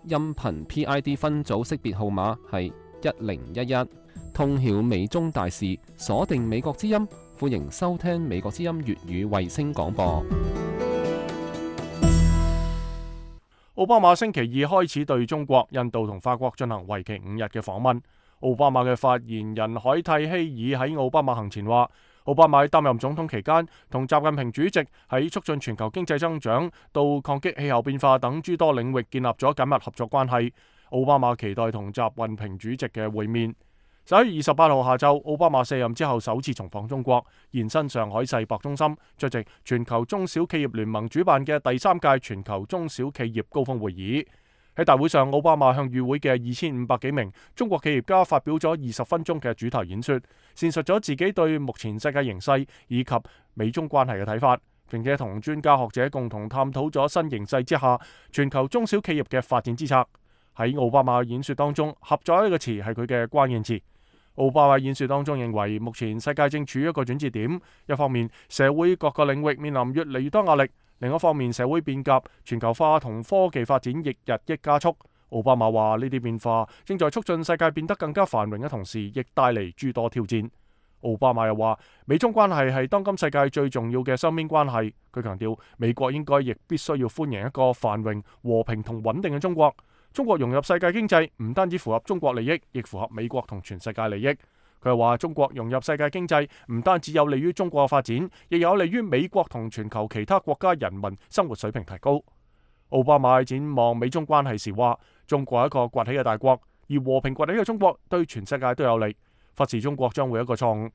音頻 PID 分組識別號碼係1011。通曉美中大事，鎖定美國之音，歡迎收聽美國之音粵語衛星廣播。奧巴馬星期2開始對中國、印度同法國進行為期5日嘅訪問。奧巴馬嘅發言人凱蒂希爾喺奧巴馬行前話，奧巴馬喺擔任總統期間同習近平主席喺促進全球經濟增長到抗擊氣候變化等諸多領域建立咗緊密合作關係。奧巴馬期待同習近平主席嘅會面。11月28號下晝，奧巴馬卸任之後首次重訪中國，現身上海世博中心出席全球中小企業聯盟主辦嘅第3屆全球中小企業高峰會議。喺大會上，奧巴馬向與會嘅2500幾名中國企業家發表咗20分鐘嘅主題演說，闡述咗自己對目前世界形勢以及美中關係嘅睇法，並且同專家學者共同探討咗新形勢之下全球中小企業嘅發展之策。喺奧巴馬演說當中，合作呢個詞係佢嘅關鍵詞。奧巴馬演說當中認為，目前世界正處於一個轉折點，一方面社會各個領域面臨越嚟越多壓力，另一方面社會變革、全球化同科技發展亦日益加速。奧巴馬話呢啲變化正在促進世界變得更加繁榮嘅同時，亦帶嚟諸多挑戰。奧巴馬又話，美中關係係當今世界最重要嘅雙邊關係。佢強調，美國應該亦必須要歡迎一個繁榮、和平同穩定嘅中國。中國融入世界經濟唔單止符合中國利益，亦符合美國同全世界利益。佢又話，中國融入世界經濟唔單止有利於中國嘅發展，亦有利於美國同全球其他國家人民生活水平提高。奧巴馬展望美中關係時話，中國係一個崛起嘅大國，而和平崛起嘅中國對全世界都有利，忽視中國將會一個錯誤。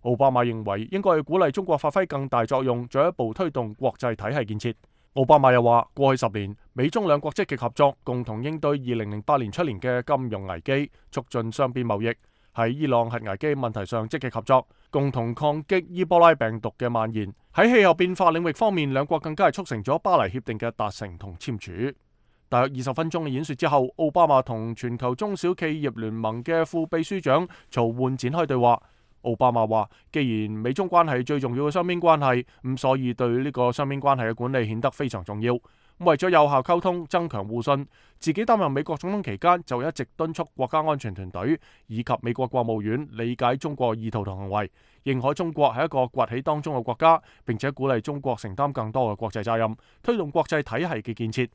奧巴馬認為應該要鼓勵中國發揮更大作用，進一步推動國際體系建設。奧巴馬又話，過去10年，美中兩國積極合作，共同應對2008年出現嘅金融危機，促進雙邊貿易；喺伊朗核危機問題上積極合作，共同抗擊伊波拉病毒嘅蔓延。喺氣候變化領域方面，兩國更加係促成咗巴黎協定嘅達成同簽署。大約20分鐘嘅演說之後，奧巴馬同全球中小企業聯盟嘅副秘書長曹煥展開對話。奧巴馬話，既然美中關係最重要嘅雙邊關係，咁所以對呢個雙邊關係嘅管理顯得非常重要。為咗有效溝通、增強互信，自己擔任美國總統期間就一直敦促國家安全團隊以及美國國務院理解中國意圖同行為，認可中國係一個崛起當中嘅國家，並且鼓勵中國承擔更多嘅國際責任，推動國際體系嘅建設。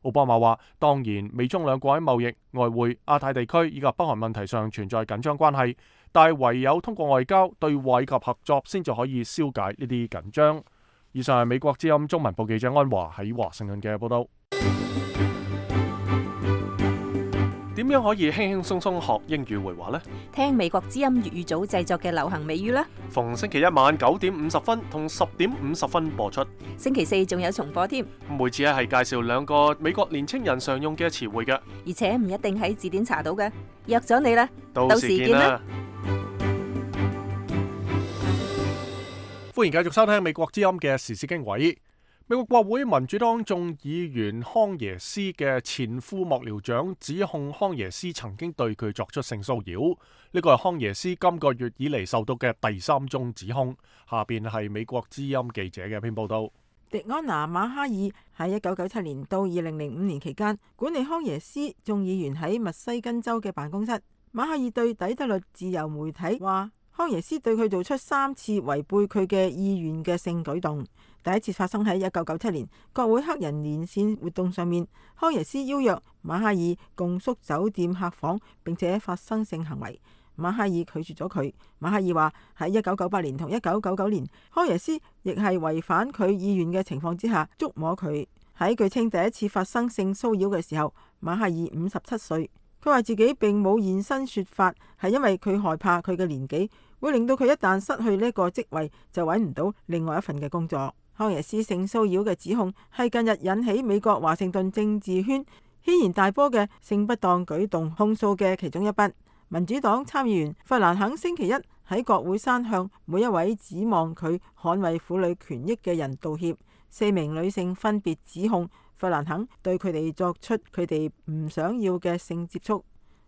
奧巴馬話，當然美中兩國喺貿易、外匯、亞太地區以及北韓問題上存在緊張關係，但係唯有通過外交、對話以及合作，先至可以消解呢啲緊張。以上係美國之音中文部記者安華喺華盛頓嘅報道。點樣可以輕輕鬆鬆學英語會話呢？聽美國之音粵語組製作嘅流行美語啦。逢星期一晚9點50分同10點50分播出。星期四仲有重播添。每次係介紹2個美國年青人常用嘅詞彙嘅，而且唔一定喺字典查到嘅。約咗你啦，到時見啦。歡迎繼續收聽美國之音嘅時事經緯。美國國會民主黨眾議員康耶斯嘅前副幕僚長指控康耶斯曾經對佢作出性騷擾，呢個係康耶斯今個月以嚟受到嘅第3宗指控。下邊係美國之音記者嘅一篇報道。迪安娜馬哈爾喺1997年到2005年期間管理康耶斯眾議員喺密西根州嘅辦公室。馬哈爾對底特律自由媒體話，康耶斯對佢做出3次違背佢嘅意願嘅性舉動。第一次發生喺1997年國會黑人連線活動上面，康耶斯邀約馬哈爾共宿酒店客房，並且發生性行為。馬哈爾拒絕咗佢。馬哈爾話喺1998年同1999年，康耶斯亦係違反佢意願嘅情況之下觸摸佢。喺據稱第一次發生性騷擾嘅時候，馬哈爾57歲。佢話自己並冇現身說法，係因為佢害怕佢嘅年紀會令到佢一旦失去呢個職位就揾唔到另外一份嘅工作。康耶斯性騷擾嘅指控係近日引起美國華盛頓政治圈軒然大波嘅性不當舉動控訴嘅其中一筆。民主黨參議員弗蘭肯星期一喺國會山向每一位指望佢捍衛婦女權益嘅人道歉。4名女性分別指控弗蘭肯對佢哋作出佢哋唔想要嘅性接觸。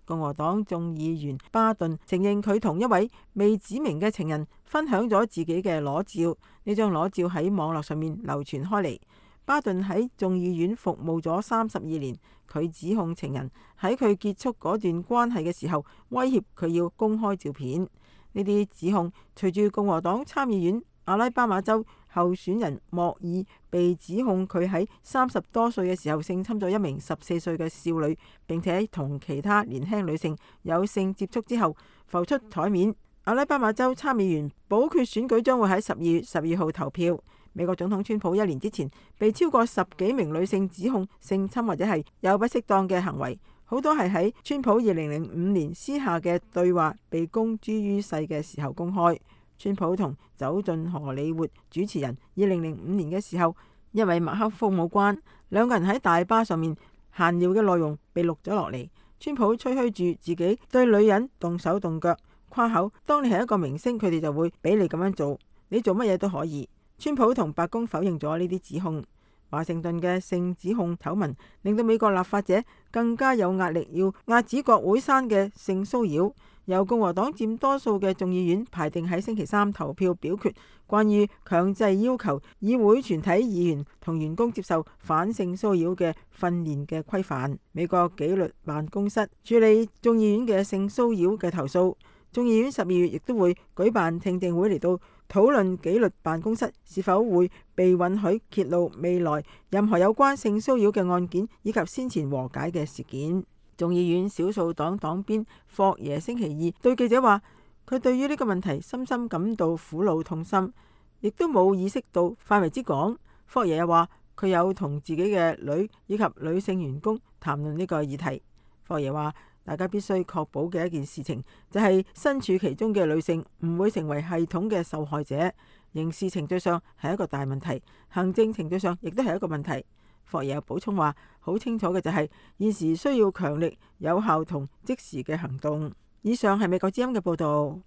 共和黨眾議員巴頓承認佢同一位未指明嘅情人分享咗自己嘅裸照，呢張裸照喺網絡上面流傳開嚟。巴頓喺眾議院服務咗32年，佢指控情人喺佢結束嗰段關係嘅時候威脅佢要公開照片。呢啲指控隨住共和黨參議院阿拉巴馬州候選人莫爾被指控佢喺30多歲嘅時候性侵咗一名14歲嘅少女，並且同其他年輕女性有性接觸之後浮出台面。阿拉巴馬州參議員補缺選舉將會喺12月12號投票。美國總統川普1年之前被超過10幾名女性指控性侵或者係有不適當嘅行為，好多係喺川普2005年私下嘅對話被公諸於世嘅時候公開。川普同走進荷里活主持人2005年嘅時候，因為麥克風冇關，兩個人喺大巴上面閒聊嘅內容被錄咗落嚟。川普吹噓住自己對女人動手動腳，誇口當你係一個明星，佢哋就會俾你咁樣做，你做乜嘢都可以。川普同白宮否認咗呢啲指控。華盛頓嘅性指控醜聞令到美國立法者更加有壓力，要遏止國會山嘅性騷擾。由共和黨佔多數嘅眾議院排定喺星期三投票表決關於強制要求議會全體議員同員工接受反性騷擾嘅訓練嘅規範。美國紀律辦公室處理眾議院嘅性騷擾嘅投訴。眾議院12月亦都會舉辦聽證會嚟到討論紀律辦公室是否會被允許揭露未來任何有關性騷擾嘅案件以及先前和解嘅事件。眾議院少數黨黨鞭霍耶星期二對記者話，佢對於呢個問題深深感到苦惱痛心，亦都冇意識到範圍之廣。霍耶又話佢有同自己嘅女以及女性員工談論呢個議題。霍耶話，大家必須確保嘅一件事情就係身處其中嘅女性唔會成為系統嘅受害者。刑事程序上係一個大問題，行政程序上亦都係一個問題。霍耶又補充話，好清楚嘅就係現時需要強力、有效同即時嘅行動。以上係美國之音嘅報道。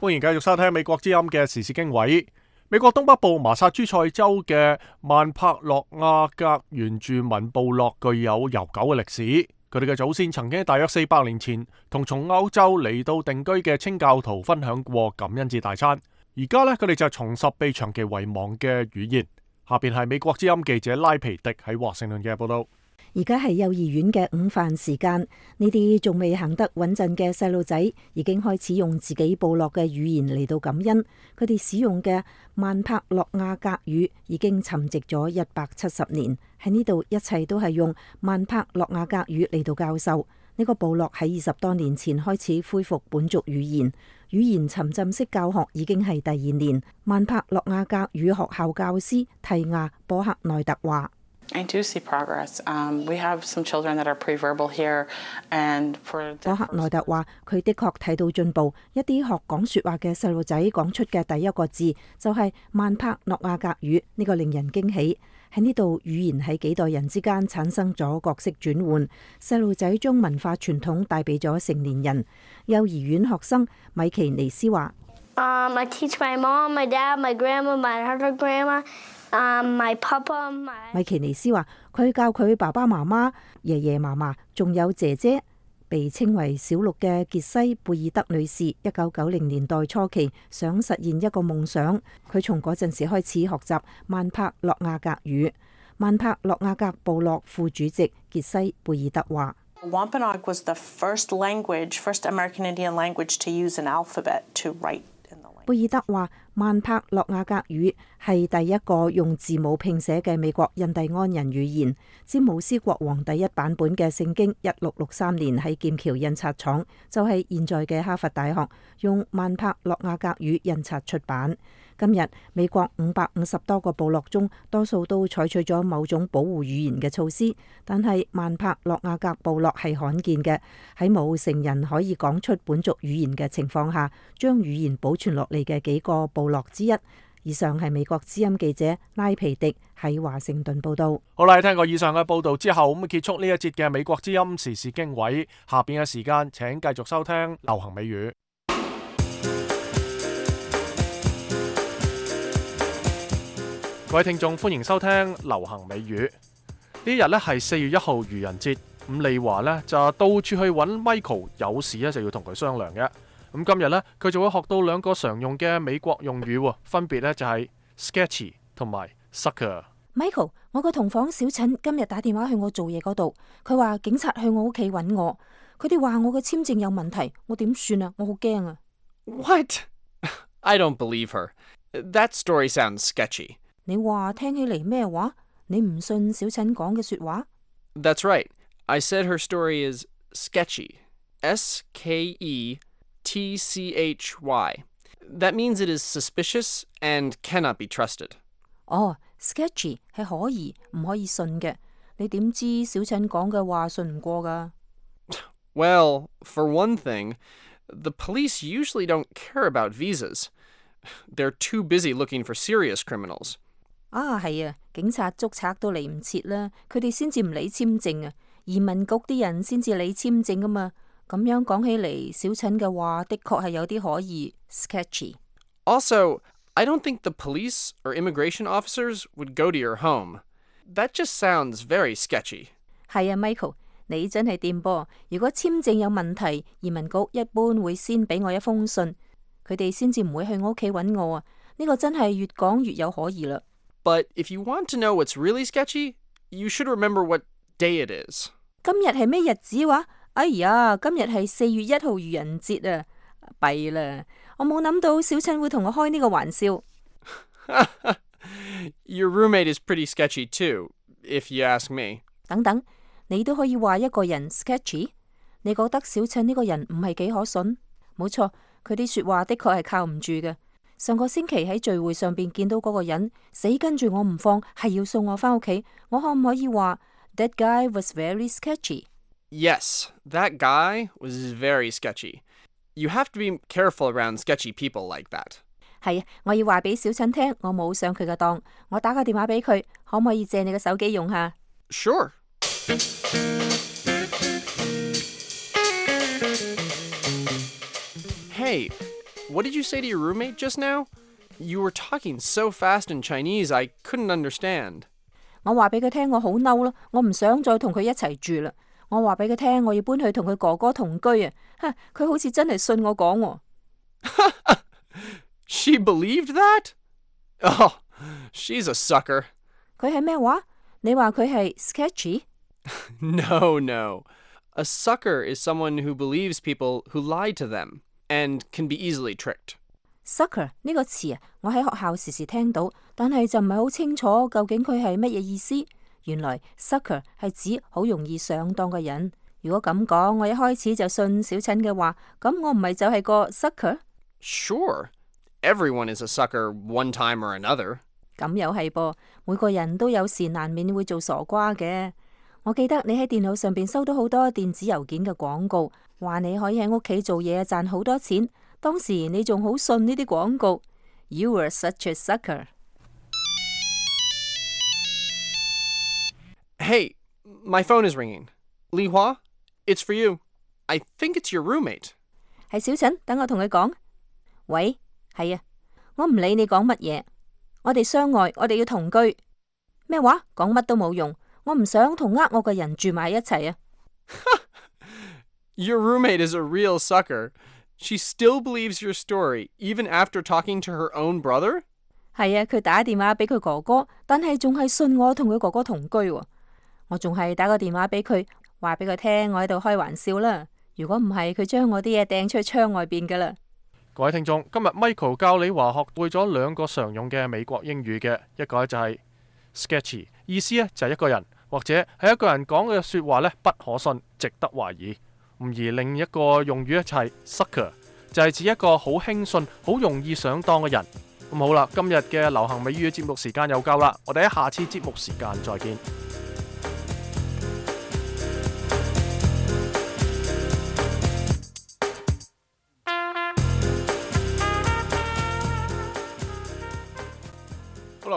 歡迎繼續收聽美國之音嘅時事經緯。美國東北部麻薩諸塞州嘅曼帕洛亞格原住民部落具有悠久嘅歷史，佢哋嘅祖先曾經喺大約400年前同從歐洲嚟到定居嘅清教徒分享過感恩節大餐。而家呢，佢哋就重拾被長期遺忘嘅語言。下邊係美國之音記者拉皮迪喺華盛頓嘅報道。而家係幼兒園嘅午飯時間，呢啲仲未行得穩陣嘅細路仔已經開始用自己部落嘅語言嚟到感恩。佢哋使用嘅曼帕洛亞格語已經沉寂咗170年，喺呢度一切都係用曼帕洛亞格語嚟到教授。呢個部落喺20多年前開始恢復本族語言，語言沉浸式教學已經係第2年。曼帕洛亞格語學校教師蒂亞波克內特話I do see progress. We have some children that are pre-verbal here, and for 波克內特話，佢的確睇到進步。一啲學講說話嘅細路仔講出嘅第一個字就係曼帕洛亞格語，呢個令人驚喜。喺呢度，語言喺幾代人之間產生咗角色轉換。細路仔將文化傳統帶俾咗成年人。幼兒園學生米奇尼斯話：I teach my mom, my dad, my grandma, my other grandma. My papa, my 米奇尼斯話：佢教佢爸爸媽媽、爺爺嫲嫲，仲有姐姐。被稱為小綠嘅傑西貝爾德女士，1990年代初期想實現一個夢想。佢從嗰陣時開始學習曼帕洛亞格語。曼帕洛亞格部落副主席傑西貝爾德話Wampanoag was the first American Indian language to use an alphabet to write in the language. 貝爾德話，曼帕洛亞格語係第一個用字母拼寫嘅美國印第安人語言。詹姆斯國王第一版本嘅聖經1663年喺劍橋印刷廠，就係現在嘅哈佛大學，用曼帕洛亞格語印刷出版。今日美國550多個部落中，多數都採取咗某種保護語言嘅措施，但係曼帕洛亞格部落係罕見嘅，喺冇成人可以講出本族語言嘅情況下，將語言保存落嚟嘅幾個部落之一。以上係美國之音記者拉皮迪喺華盛頓報道。好啦，聽過以上嘅報道之後，咁結束呢一節嘅美國之音時事經緯。下邊嘅時間，請繼續收聽流行美語。各位聽眾，歡迎收聽流行美語。呢日呢係4月1號愚人節，咁利華呢就到處去揾 Michael， 有事呢就要同佢商量嘅。咁今日呢，佢就會學到2個常用嘅美國用語，分別呢就係 sketchy 同埋 sucker。Michael， 我個同房小陳今日打電話去我做嘢嗰度，佢話警察去我屋企揾我，佢哋話我嘅簽證有問題，我點算啊？我好驚啊 ！What? I don't believe her. That story sounds sketchy. 你話聽起嚟咩話？你唔信小陳講嘅說話 ？That's right. I said her story is sketchy. S-K-E-T-C-H-Y. That means it is suspicious and cannot be trusted. 哦 sketchy 係可疑唔可以信嘅。你點知小陳講嘅話信唔過㗎？ Well, for one thing, the police usually don't care about visas. They're too busy looking for serious criminals. 啊，係啊，警察捉賊都嚟唔切啦，佢哋先至唔理簽證啊，移民局啲人先至理簽證㗎嘛。咁樣講起嚟，小陳嘅話的確係有啲可疑 sketchy。 Also, I don't think the police or immigration officers would go to your home. That just sounds very sketchy. 係啊 ，Michael， 你真係掂噃。如果簽證有問題，移民局一般會先俾我一封信，佢哋先至唔會去我屋企揾我啊。呢個真係越講越有可疑啦。But if you want to know what's really sketchy, you should remember what day it is. 今日係咩日子話？哎呀，今日係4月1號愚人節啊！弊啦，我冇諗到小陳會同我開呢個玩笑。Your roommate is pretty sketchy too, if you ask me. 等等，你都可以話一個人 sketchy？ 你覺得小陳呢個人唔係幾可信？冇錯，佢啲說話的確係靠唔住嘅。上個星期喺聚會上邊見到嗰個人死跟住我唔放，係要送我返屋企。我可唔可以話 That guy was very sketchy? Yes, that guy was very sketchy. You have to be careful around sketchy people like that. 係啊，我要話俾小陳聽，我冇上佢嘅當。我打個電話俾佢，可唔可以借你嘅手機用下？ Sure. Hey, what did you say to your roommate just now? You were talking so fast in Chinese, I couldn't understand. 我話俾佢聽，我好嬲咯，我唔想再同佢一齊住啦。我話俾佢聽，我要搬去同佢哥哥同居啊！佢好似真係信我講喎。She believed that? Oh, she's a sucker. 佢係咩話？你話佢係 sketchy? No. A sucker is someone who believes people who lie to them and can be easily tricked. Sucker 呢個詞啊，我喺學校時時聽到，但係就唔係好清楚究竟佢係乜嘢意思。原來 sucker 係指好容易上當嘅人。如果咁講，我一開始就信小陳嘅話，咁我唔係就係個 sucker？ Sure, everyone is a sucker one time or another. 咁又係噃，每個人都有時難免會做傻瓜嘅。我記得你喺電腦上邊收到好多電子郵件嘅廣告，話你可以喺屋企做嘢賺好多錢。當時你仲好信呢啲廣告。You were such a sucker. Hey, my phone is ringing. Li Hua, it's for you. I think it's your roommate. 係小陳，等我同佢講。喂，係啊，我唔理你講乜嘢。我哋相愛，我哋要同居。咩話？講乜都冇用。我唔想同我嘅人住埋一齊啊。Your roommate is a real sucker. She still believes your story, even after talking to her own brother? 係啊，佢打電話俾佢哥哥，但係仲係信我同佢哥哥同居喎。我仲係打個電話俾佢，話俾佢聽我喺度開玩笑啦。如果唔係，佢將我啲嘢掟出去窗外邊噶啦。各位聽眾，今日 Michael 教你話學會咗兩個常用嘅美國英語嘅，一個就係 sketchy， 意思咧就係一個人或者係一個人講嘅說話咧不可信，值得懷疑。而另一個用語咧就係 sucker， 就係指一個好輕信、好容易上當嘅人。咁好啦，今日嘅流行美語節目時間又夠啦，我哋喺下次節目時間再見。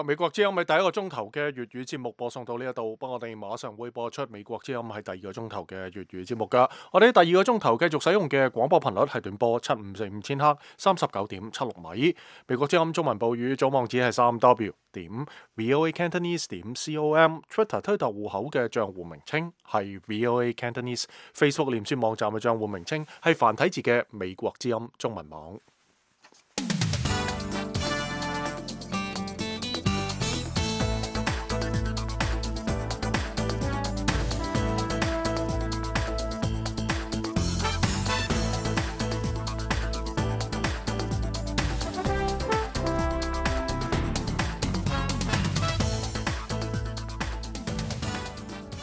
美國之音係第一個鐘頭嘅粵語節目播送到呢一度，不過我哋馬上會播出美國之音係第二個鐘頭嘅粵語節目噶。我哋喺第二個鐘頭繼續使用嘅廣播頻率係短波7545千赫39.76米。美國之音中文報語總網址係3w.voacantonese.com，Twitter 推特戶口嘅賬戶名稱係 VOA Cantonese，Facebook 臉書網站嘅賬戶名稱係繁體字嘅美國之音中文網。